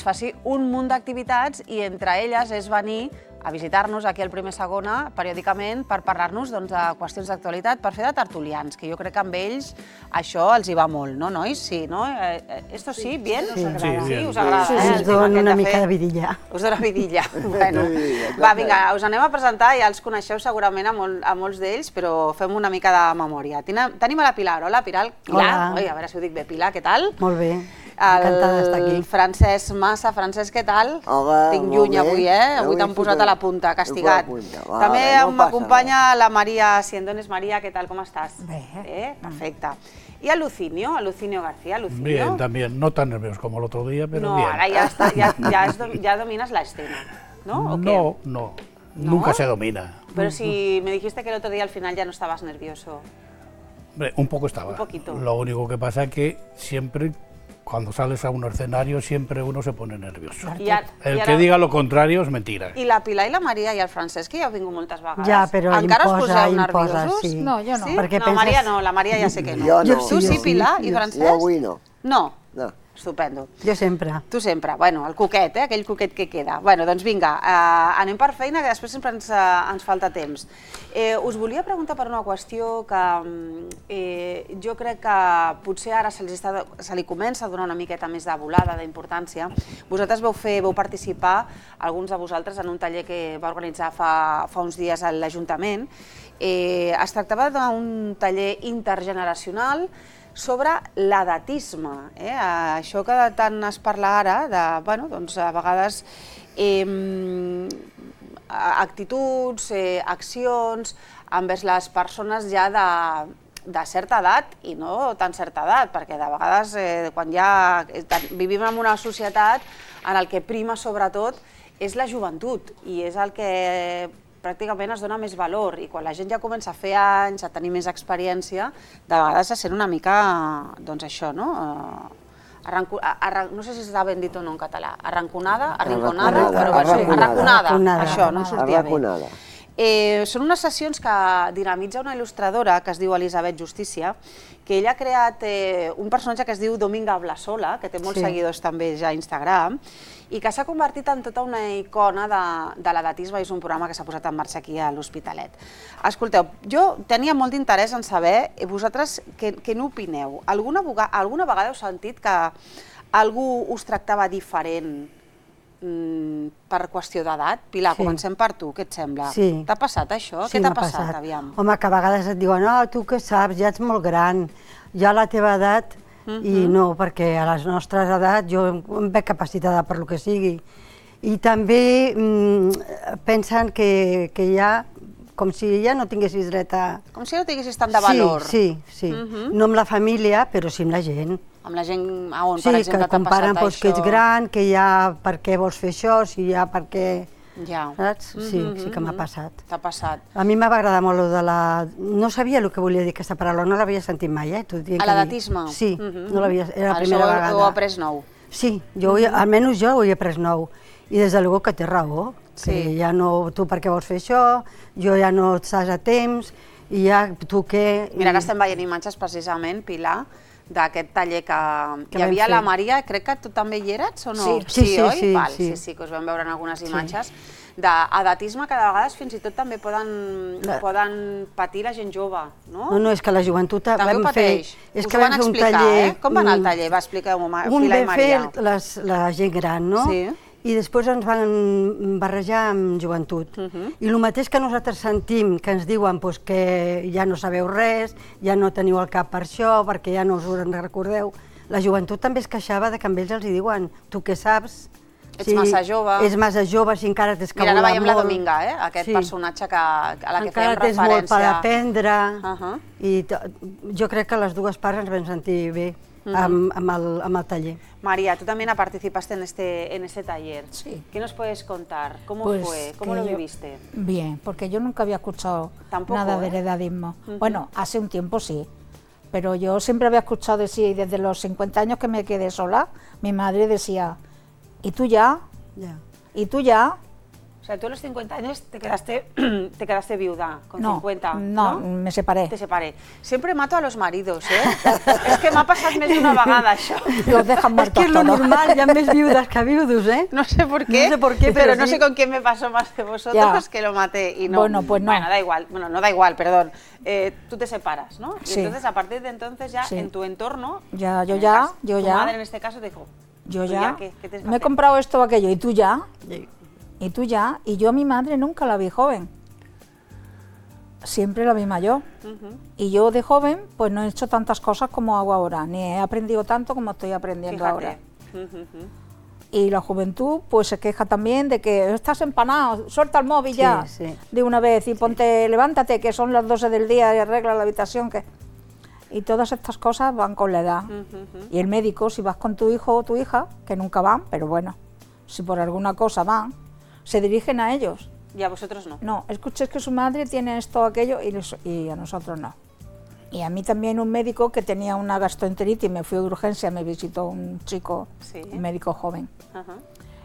faci un munt d'activitats, i entre elles és venir a visitar-nos aquí al Primer Segona periòdicament per parlar-nos de qüestions d'actualitat, per fer de tertulians, que jo crec que amb ells això els hi va molt, no, nois? Sí, no? Esto sí, bien? Sí, us agrada. Us dona una mica de vidilla. Us dona vidilla. Bueno, va, vinga, us anem a presentar, ja els coneixeu segurament a molts d'ells, però fem una mica de memòria. Tenim a la Pilar. Hola, Pilar. Hola. A veure si ho dic bé. Pilar, què tal? Molt bé. Encantada d'estar aquí. El Francesc Massa. Francesc, què tal? Hola, tinc lluny avui, Avui t'han posat a la punta, castigat. També m'acompanya la Maria Siendones. María, ¿qué tal? ¿Cómo estás? Bien. Perfecta. Y a Lucinio García. Lucinio. Bien, también. No tan nervioso como el otro día, pero bien. No, ahora ya dominas la escena, ¿no? No, nunca se domina. Pero si me dijiste que el otro día al final ya no estabas nervioso. Hombre, un poco estaba. Un poquito. Lo único que pasa es que siempre, cuando sales a un escenario, siempre uno se pone nervioso. El que diga lo contrario es mentira. I la Pilar i la Maria i el Francesc, que ja heu vingut moltes vegades. Ja, però encara us poseu nerviosos? Sí. No, jo no. Sí? Perquè no, Maria no, la Maria ja sé que no. Jo no. Tu sí, Pilar i Francesc? Jo avui no. No? No. Estupendo. Jo sempre. Tu sempre. Bueno, el coquet, aquell coquet que queda. Bueno, doncs vinga, anem per feina, que després sempre ens falta temps. Us volia preguntar per una qüestió que jo crec que potser ara se li comença a donar una miqueta més de volada, d'importància. Vosaltres vau participar, alguns de vosaltres, en un taller que va organitzar fa uns dies a l'Ajuntament. Es tractava d'un taller intergeneracional sobre l'edatisme, això que tant es parla ara, a vegades actituds, accions envers les persones ja de certa edat i no tan certa edat, perquè de vegades quan ja vivim en una societat en el que prima sobretot és la joventut i és el que pràcticament es dona més valor, i quan la gent ja comença a fer anys, a tenir més experiència, de vegades se sent una mica, doncs això, no? No sé si està ben dit o no en català, arrinconada, això, no em sortia bé. Són unes sessions que dinamitza una il·lustradora que es diu Elisabet Justícia, que ella ha creat un personatge que es diu Dominga Blasola, que té molts seguidors també ja a Instagram, i que s'ha convertit en tota una icona de l'edatisme, i és un programa que s'ha posat en marxa aquí a l'Hospitalet. Escolteu, jo tenia molt d'interès en saber, vosaltres, què n'opineu? Alguna vegada heu sentit que algú us tractava diferent per qüestió d'edat? Pilar, comencem per tu, què et sembla? Sí. T'ha passat això? Què t'ha passat, aviam? Home, que a vegades et diuen, no, tu què saps, ja ets molt gran, ja a la teva edat, i no, perquè a les nostres edats jo em veig capacitada per lo que sigui. I també pensen que ja, com si ja no tinguessis dret a... Com si no tinguessis tant de valor. Sí. No amb la família, però sí amb la gent. Amb la gent on, per exemple, t'ha passat això. Sí, que comparen que ets gran, que ja per què vols fer això, si ja per què... Ja. Saps? Sí que m'ha passat. T'ha passat. A mi m'ha agradar molt lo de la... No sabia el que volia dir aquesta paraula, no l'havia sentit mai, A l'edatisme? Sí, no l'havia... Era la primera vegada. Això ho he après nou? Sí, almenys jo ho he après nou. I des de luego que té raó, que ja no, tu per què vols fer això, jo ja no estàs a temps, i ja tu què... Mira, ara estem veient imatges precisament, Pilar, d'aquest taller que hi havia la Maria, crec que tu també hi eres o no? Sí, que us vam veure en algunes imatges, d'edatisme que de vegades fins i tot també poden patir la gent jove, no? No, és que la joventut també ho pateix. Us ho van explicar, Com va anar el taller? Va, expliqueu-m'ho, Pilar i Maria. Un vam fer la gent gran, no? Sí. I després ens van barrejar amb joventut. I el mateix que nosaltres sentim, que ens diuen que ja no sabeu res, ja no teniu el cap per això, perquè ja no us ho recordeu, la joventut també es queixava que amb ells els diuen, tu què saps? Ets massa jove. Ets massa jove, si encara t'és que volar molt. Mira, ara veiem la Dominga, aquest personatge a la que fèiem referència. Encara tens molt per aprendre. I jo crec que les dues parts ens vam sentir bé amb el taller. María, tú también participaste en este taller. Sí. ¿Qué nos puedes contar? ¿Cómo fue? ¿Cómo lo viviste? Bien, porque yo nunca había escuchado nada del edadismo. Bueno, hace un tiempo sí, pero yo siempre había escuchado decir, desde los 50 años que me quedé sola, mi madre decía, ¿y tú ya? ¿Y tú ya? O sea, tú a los 50 años te quedaste viuda, con 50, ¿no? No, me separé. Te separé. Siempre mato a los maridos, Es que m'ha passat més d'una vegada, això. Los dejan muertos todos. Es que es lo normal, ya més viudas que viudos, No sé por qué, pero no sé con quién me pasó más de vosotros que lo maté y no. Bueno, pues no. Bueno, da igual, no da igual, perdón. Tú te separas, ¿no? Y entonces, a partir de entonces, ya en tu entorno, tu madre en este caso te dijo, yo ya, ¿qué tienes que me he comprado esto o aquello, ¿y tú ya? Y tú ya, y yo a mi madre nunca la vi joven, siempre la vi mayor. Y yo de joven pues no he hecho tantas cosas como hago ahora, ni he aprendido tanto como estoy aprendiendo ahora. Y la juventud pues se queja también de que estás empanado, suelta el móvil ya de una vez y ponte, levántate que son las 12 del día y arregla la habitación. Y todas estas cosas van con la edad. Y el médico, si vas con tu hijo o tu hija, que nunca van, pero bueno, si por alguna cosa van, se dirigen a ellos. ¿Y a vosotros no? No, escuché que su madre tiene esto o aquello y a nosotros no. Y a mí también un médico que tenía una gastroenteritis, me fui de urgencia, me visitó un chico, un médico joven.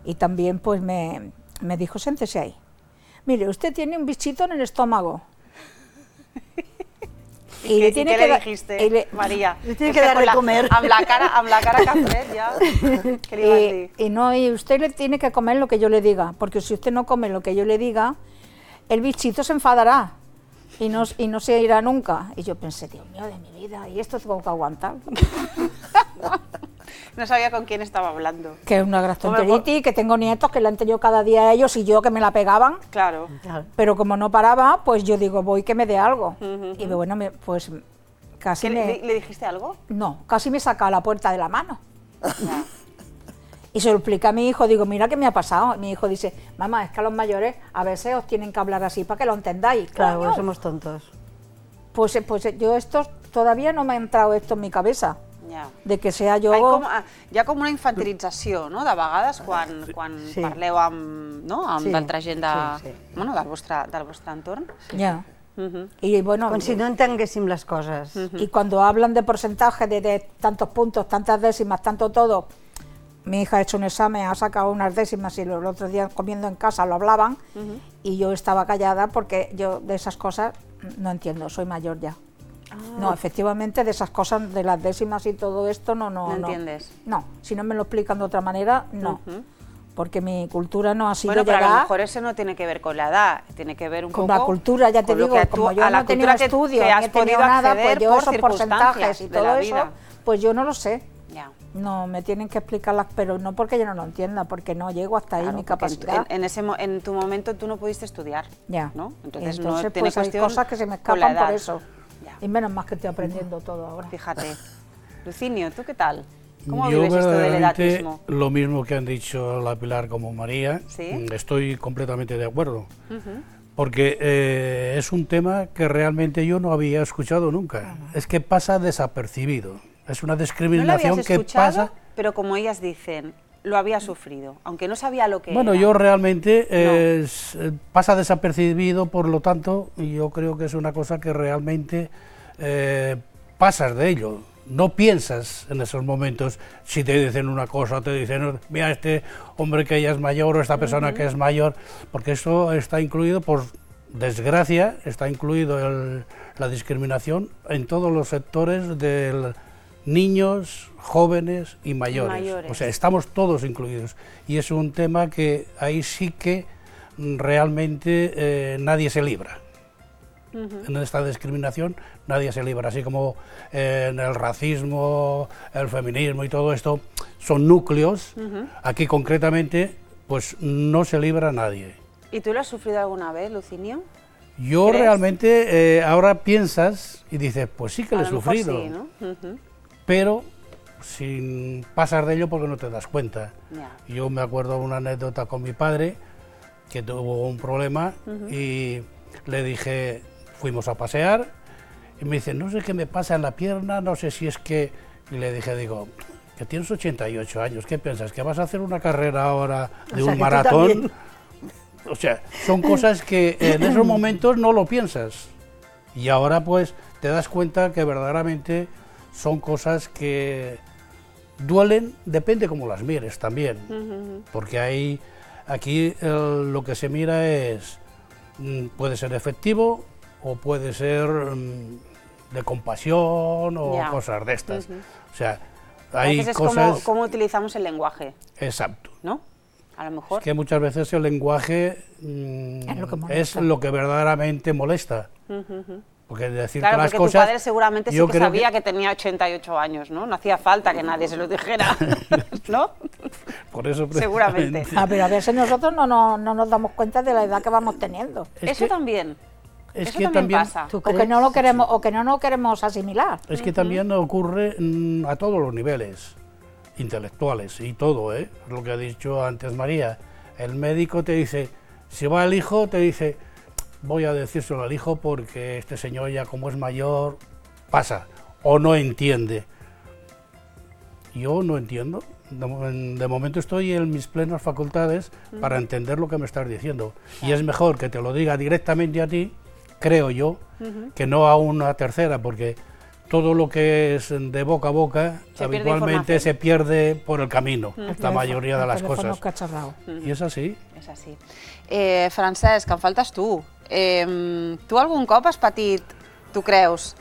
Y también pues me dijo, siéntese ahí. Mire, usted tiene un bichito en el estómago. ¿Y qué le dijiste, María? Le tiene que dar de comer. Amb la cara que has fet, ja. ¿Qué le ibas a decir? Y usted le tiene que comer lo que yo le diga, porque si usted no come lo que yo le diga, el bichito se enfadará y no se irá nunca. Y yo pensé, Dios mío, de mi vida, ¿y esto tengo que aguantar? No sabía con quién estaba hablando. Que es una gastroenteritis, que tengo nietos que la han tenido cada día ellos y yo que me la pegaban. Claro. Pero como no paraba, pues yo digo, voy que me dé algo. Y bueno, pues casi ¿Le dijiste algo? No, casi me saca a la puerta de la mano. Y se lo explica a mi hijo, digo, mira qué me ha pasado. Y mi hijo dice, mamá, es que a los mayores a veces os tienen que hablar así para que lo entendáis. Claro, pues somos tontos. Pues yo todavía no me ha entrado esto en mi cabeza. De que sea jo... Hi ha com una infantilització, no?, de vegades, quan parleu amb d'altra gent del vostre entorn. Y bueno, com si no entenguéssim les coses. Y cuando hablan de porcentaje, de tantos puntos, tantas décimas, tanto todo, mi hija ha hecho un examen, ha sacado unas décimas y el otro día comiendo en casa lo hablaban y yo estaba callada porque yo de esas cosas no entiendo, soy mayor ya. No, efectivamente, de esas cosas, de las décimas y todo esto, no entiendes. No, si no me lo explican de otra manera, no. Porque mi cultura no ha sido pero llegar... a lo mejor eso no tiene que ver con la edad, tiene que ver un poco... Con la cultura, ya te digo, como yo no he tenido estudios, ni he tenido nada, pues yo esos porcentajes y todo eso, pues yo no lo sé. No, me tienen que explicarlas, pero no porque yo no lo entienda, porque no llego hasta ahí mi capacidad. En tu momento tú no pudiste estudiar, ¿no? Entonces no tiene pues hay cosas que se me escapan por eso. Y menos más que estoy aprendiendo todo ahora. Fíjate. Lucinio, ¿tú qué tal? ¿Cómo vives esto del edatismo? Lo mismo que han dicho la Pilar como María, estoy completamente de acuerdo. Porque es un tema que realmente yo no había escuchado nunca. Es que pasa desapercibido. Es una discriminación que pasa... Pero como ellas dicen, lo había sufrido, aunque no sabía lo que era. Bueno, yo realmente pasa desapercibido, por lo tanto, yo creo que es una cosa que realmente pasas de ello. No piensas en esos momentos si te dicen una cosa, te dicen, mira, este hombre que ya es mayor o esta persona que es mayor, porque eso está incluido, por desgracia, está incluido la discriminación en todos los sectores del niños, jóvenes y mayores. O sea, estamos todos incluidos. Y es un tema que ahí sí que realmente nadie se libra. En esta discriminación nadie se libra, así como en el racismo, el feminismo y todo esto son núcleos, aquí concretamente pues no se libra nadie. ¿Y tú lo has sufrido alguna vez, Lucinio? Yo realmente ahora piensas y dices, pues sí que lo he sufrido, sí, ¿no? pero sin pasar de ello porque no te das cuenta. Yo me acuerdo de una anécdota con mi padre que tuvo un problema y le dije, fuimos a pasear y me dice, no sé qué me pasa en la pierna, no sé si es que... Y le dije, digo, que tienes 88 años, ¿qué piensas? ¿Que vas a hacer una carrera ahora de un maratón? O sea, son cosas que en esos momentos no lo piensas. Y ahora pues te das cuenta que verdaderamente son cosas que duelen, depende cómo las mires también. Porque aquí lo que se mira es, puede ser efectivo o puede ser de compasión o cosas de estas. O sea, hay cosas... Es como utilizamos el lenguaje. Exacto. ¿No? A lo mejor. Es que muchas veces el lenguaje es lo que verdaderamente molesta. Porque decir claro, las porque cosas... tu padre seguramente sí que sabía que tenía 88 años, ¿no? No hacía falta que nadie se lo dijera, ¿no? Por eso seguramente. Pero a veces nosotros no nos damos cuenta de la edad que vamos teniendo. Eso también. Es eso que también pasa. O que no lo queremos, o que no lo queremos asimilar. Es que también ocurre a todos los niveles, intelectuales y todo, ¿eh? Lo que ha dicho antes María. El médico te dice, si va el hijo, te dice, voy a decírselo al hijo porque este señor ya como es mayor, pasa, o no entiende. Yo no entiendo. De momento estoy en mis plenas facultades para entender lo que me estás diciendo. Y es mejor que te lo diga directamente a ti, creo yo, que no a una tercera, porque todo lo que es de boca a boca habitualmente se pierde por el camino, la mayoría de las cosas. Y es así. És així. Francesc, em faltes tu. Tu algun cop has patit, tu creus,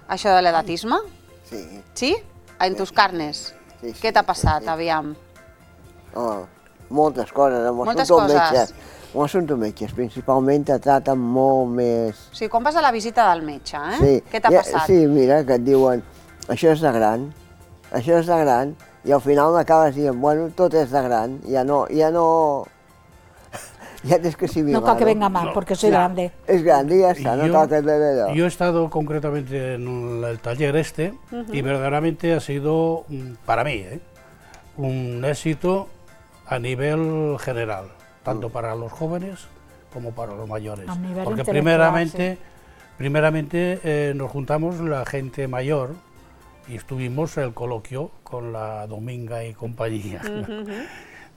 això de l'edatisme? Sí. Sí? En tus carnes? Sí, Què t'ha passat, aviam? Moltes coses. Moltes coses. Quan sento metges, principalment te traten molt més... O sigui, quan vas a la visita del metge, Sí. Què t'ha passat? Sí, mira, que et diuen, això és de gran, i al final m'acabes dient, bueno, tot és de gran, ja tienes que asimilar. No cal que venga mal, porque soy grande. Es grande y ya está, no cal que bebé. Yo he estado concretamente en el taller y verdaderamente ha sido, para mí, un éxito a nivel general, tanto para los jóvenes como para los mayores. Porque primeramente nos juntamos la gente mayor y estuvimos el coloquio con la Dominga y compañía.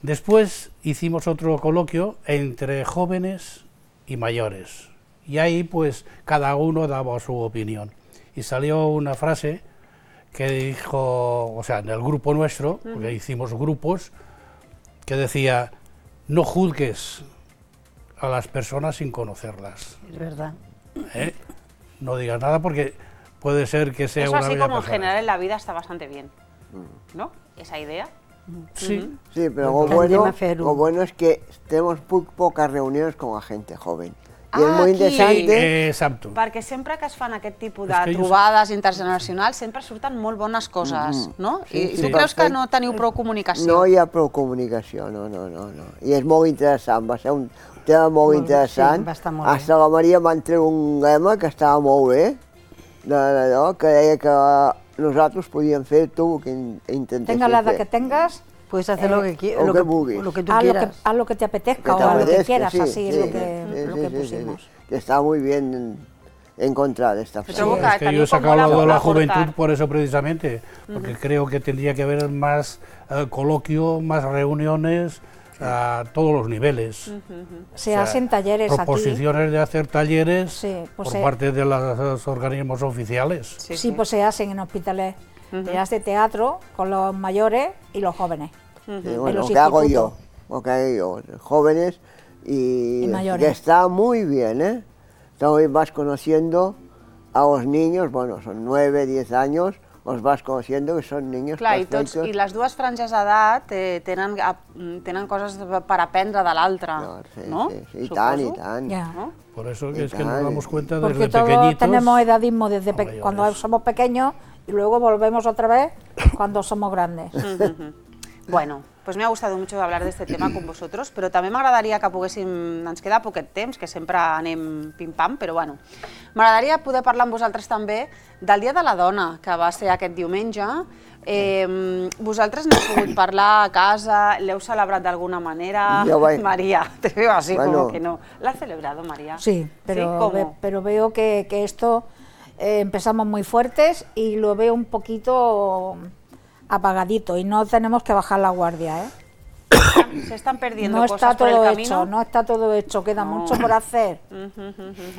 Después hicimos otro coloquio entre jóvenes y mayores. Y ahí pues cada uno daba su opinión. Y salió una frase que dijo, o sea, en el grupo nuestro, porque hicimos grupos, que decía, no juzgues a las personas sin conocerlas. Es verdad. No digas nada porque puede ser que sea una... Eso así como en general en la vida está bastante bien, ¿no? Esa idea. Sí. Sí, pero lo bueno es que tenemos muy pocas reuniones con la gente joven. I és molt interessant. Sí, exacto. Perquè sempre que es fan aquest tipus de trobades intergeneracionals sempre surten molt bones coses, no? I tu creus que no teniu prou comunicació? No hi ha prou comunicació, no. I és molt interessant, va ser un tema molt interessant. Hasta la Maria m'ha tret un lema que estava molt bé, d'allò, que deia que nosaltres podíem fer tu el que intentéssim fer. Tenga la edad que tengas, puedes hacer lo que vulguis. Lo que tú quieras. Haz lo que te apetezca o a lo que quieras, así es lo que pusimos. Que está muy bien encontrar esta frase. Es que yo he sacado de la juventud por eso precisamente, porque creo que tendría que haber más coloquio, más reuniones a todos los niveles. Se hacen talleres aquí. Proposiciones de hacer talleres por parte de los organismos oficiales. Sí, pues se hacen en hospitales. Te hace teatro con los mayores y los jóvenes. Bueno, lo que hago yo, jóvenes y mayores. Que está muy bien, ¿eh? Hoy vas conociendo a los niños, bueno, son 9, 10 años, los vas conociendo que són niños perfectos. I les dues franges d'edat tenen coses per aprendre de l'altra, ¿no? Sí, i tant. Por eso es que nos damos cuenta desde pequeñitos. Porque todos tenemos edadismo desde cuando somos pequeños y luego volvemos otra vez cuando somos grandes. Bueno, pues me ha gustado mucho hablar de este tema con vosotros, però també m'agradaria que poguéssim... Ens queda poquet temps, que sempre anem pim-pam, però bueno. M'agradaria poder parlar amb vosaltres també del Dia de la Dona, que va ser aquest diumenge. Vosaltres n'heu pogut parlar a casa, l'heu celebrat d'alguna manera? María, te veo así como que no. ¿La has celebrado, María? Sí, pero veo que esto empezamos muy fuertes y lo veo un poquito apagadito y no tenemos que bajar la guardia, ¿eh? Se están perdiendo cosas por el camino. No está todo hecho, queda mucho por hacer.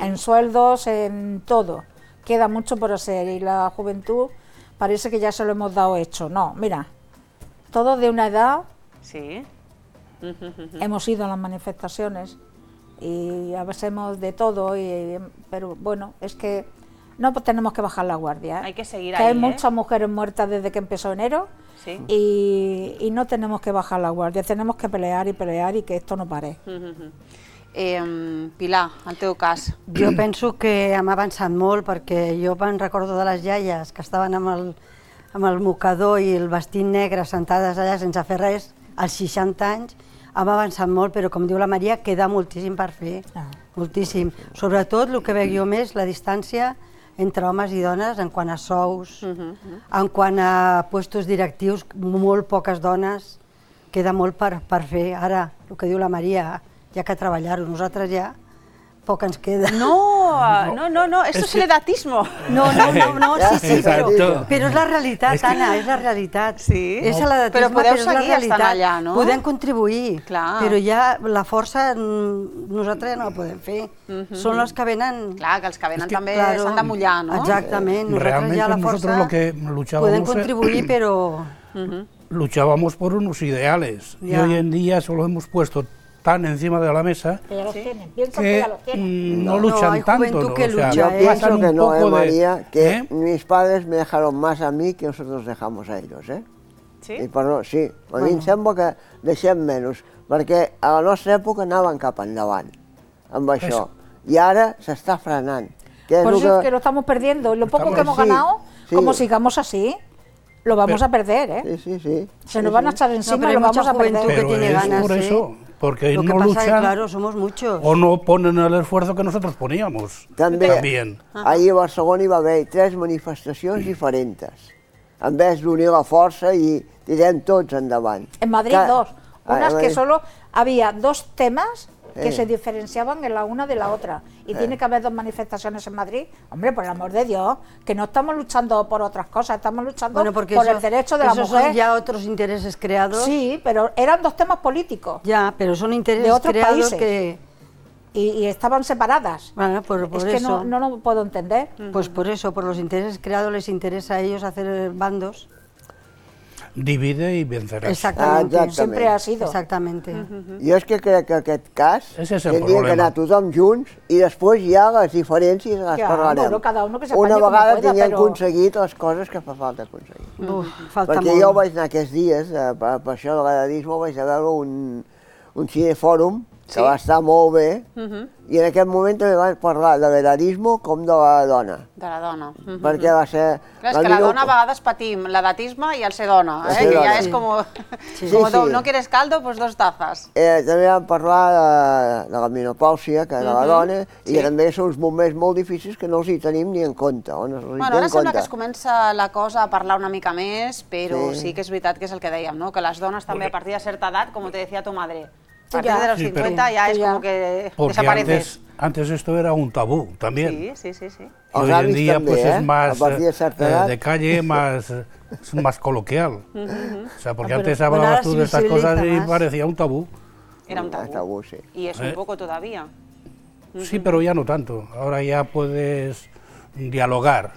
En sueldos, en todo. Queda mucho por hacer y la juventud parece que ya se lo hemos dado hecho. No, mira, todos de una edad hemos ido a las manifestaciones y hacemos de todo, pero bueno, es que no tenemos que bajar la guardia. Hay que seguir que ahí, hay muchas mujeres muertas desde que empezó enero y no tenemos que bajar la guardia, tenemos que pelear y que esto no pare. Pilar, el teu cas. Jo penso que hem avançat molt perquè jo me'n recordo de les iaies que estaven amb el mocador i el vestit negre sentades allà sense fer res, als 60 anys, hem avançat molt, però com diu la Maria, queda moltíssim per fer, moltíssim. Sobretot el que veig jo més, la distància entre homes i dones en quant a sous, en quant a puestos directius, molt poques dones, queda molt per fer. Ara, el que diu la Maria, hi ha que treballar-ho, nosaltres ja poc ens queda. No, esto es el edatismo. No, sí, però és la realitat, Anna, és la realitat. Sí, és l'edatisme, però podeu seguir estant allà, no? Podem contribuir, però ja la força nosaltres ja no la podem fer. Són els que venen... Clar, que els que venen també s'han de mullar, no? Exactament, nosaltres ja la força podem contribuir, però... Luchábamos por unos ideales y hoy en día solo hemos puesto tan encima de la mesa que no luchan tanto, ¿no? Yo pienso que no, María, que mis padres me dejaron más a mí que nosotros dejamos a ellos, ¿eh? Sí? Sí, a mi em sembla que deixem menys, perquè a la nostra època anaven cap endavant amb això, i ara s'està frenant. Por eso es que lo estamos perdiendo, lo poco que hemos ganado, como sigamos así, lo vamos a perder, ¿eh? Sí. Se nos van a echar encima y lo vamos a perder. Pero es por eso, porque no luchan o no ponen el esfuerzo que nosotros poníamos. También. Ahir a Barcelona hi va haver 3 manifestacions diferents. En vez d'unir la força i tirem tots endavant. En Madrid 2. Unas que solo había 2 temas que se diferenciaban en la una de la otra. Y tiene que haber 2 manifestaciones en Madrid. Hombre, por el amor de Dios, que no estamos luchando por otras cosas, estamos luchando por el derecho de la mujer. Son ya otros intereses creados. Sí, pero eran 2 temas políticos. Ya, pero son intereses de otros creados países. Que... Y estaban separadas. Bueno, por es eso. Que no lo puedo entender. Pues por eso, por los intereses creados les interesa a ellos hacer bandos. Divide y vencerás. Exactamente, siempre ha sido. Exactamente. Jo és que crec que aquest cas tindria que anar tothom junts i després ja les diferències les parlarem. Una vegada tinguem aconseguit les coses que fa falta aconseguir. Perquè jo vaig anar aquests dies, per això de l'edadisme, vaig a veure un cinefòrum que va estar molt bé, i en aquest moment també van parlar de l'edatisme com de la dona. De la dona. Perquè va ser... Clar, és que la dona a vegades patim l'edatisme i el ser dona, que ja és com... No quieres caldo, pues 2 tazas. També vam parlar de la menopàusia, que de la dona, i també són uns moments molt difícils que no els hi tenim ni en compte. Ara sembla que es comença la cosa a parlar una mica més, però sí que és veritat que és el que dèiem, que les dones també a partir de certa edat, com te decía tu madre, a partir de los 50 ya es como que desapareces. Antes esto era un tabú también. Sí. Hoy en día pues es más de calle, más coloquial. O sea, porque antes hablabas tú de estas cosas y parecía un tabú. Era un tabú, sí. Y es un poco todavía. Sí, pero ya no tanto. Ahora ya puedes dialogar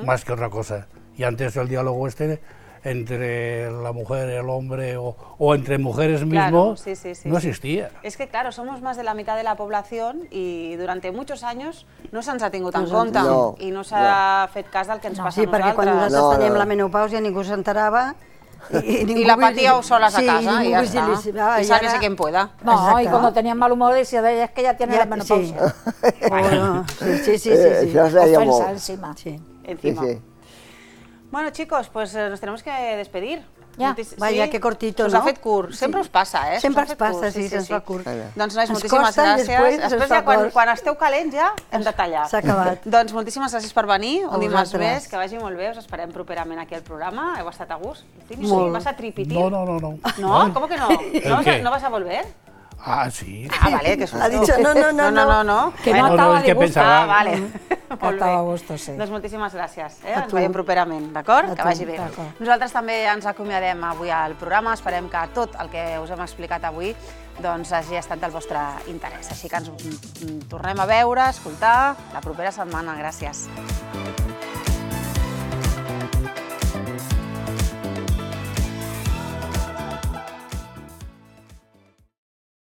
más que otra cosa. Y antes el diálogo entre la mujer y el hombre o entre mujeres mismos no existía. Es que, claro, somos más de la mitad de la población y durante muchos años no se'ns ha tingut en compte i no s'ha fet cas del que ens passa a nosaltres. Sí, perquè quan nosaltres teníem la menopàusia ningú s'enterava y la patíeu solas a casa y ya está. Y sálvese quien pueda. No, y cuando tenían mal humor decía, es que ya tiene la menopausia. Sí. Ofensa encima. Encima. Bueno, chicos, pues nos tenemos que despedir. Ja, vaya, que cortito, no? Us ha fet curt. Sempre us passa, Sempre ens passa, sí, se'ns fa curt. Doncs, nois, moltíssimes gràcies. Després ja, quan esteu calents, ja hem de tallar. S'ha acabat. Doncs moltíssimes gràcies per venir, un dimarts més, que vagi molt bé, us esperem properament aquí al programa. Heu estat a gust? Molt. ¿Vas a tripitir? No. ¿No? ¿Cómo que no? ¿No vas a volver? Ah, sí. Ah, vale, que susto. Ha dicho no. Que no estava de gust. Ah, vale. Estava a gust, sí. Doncs moltíssimes gràcies. Ens veiem properament, d'acord? Que vagi bé. Nosaltres també ens acomiadem avui al programa. Esperem que tot el que us hem explicat avui hagi estat del vostre interès. Així que ens tornem a veure, a escoltar la propera setmana. Gràcies.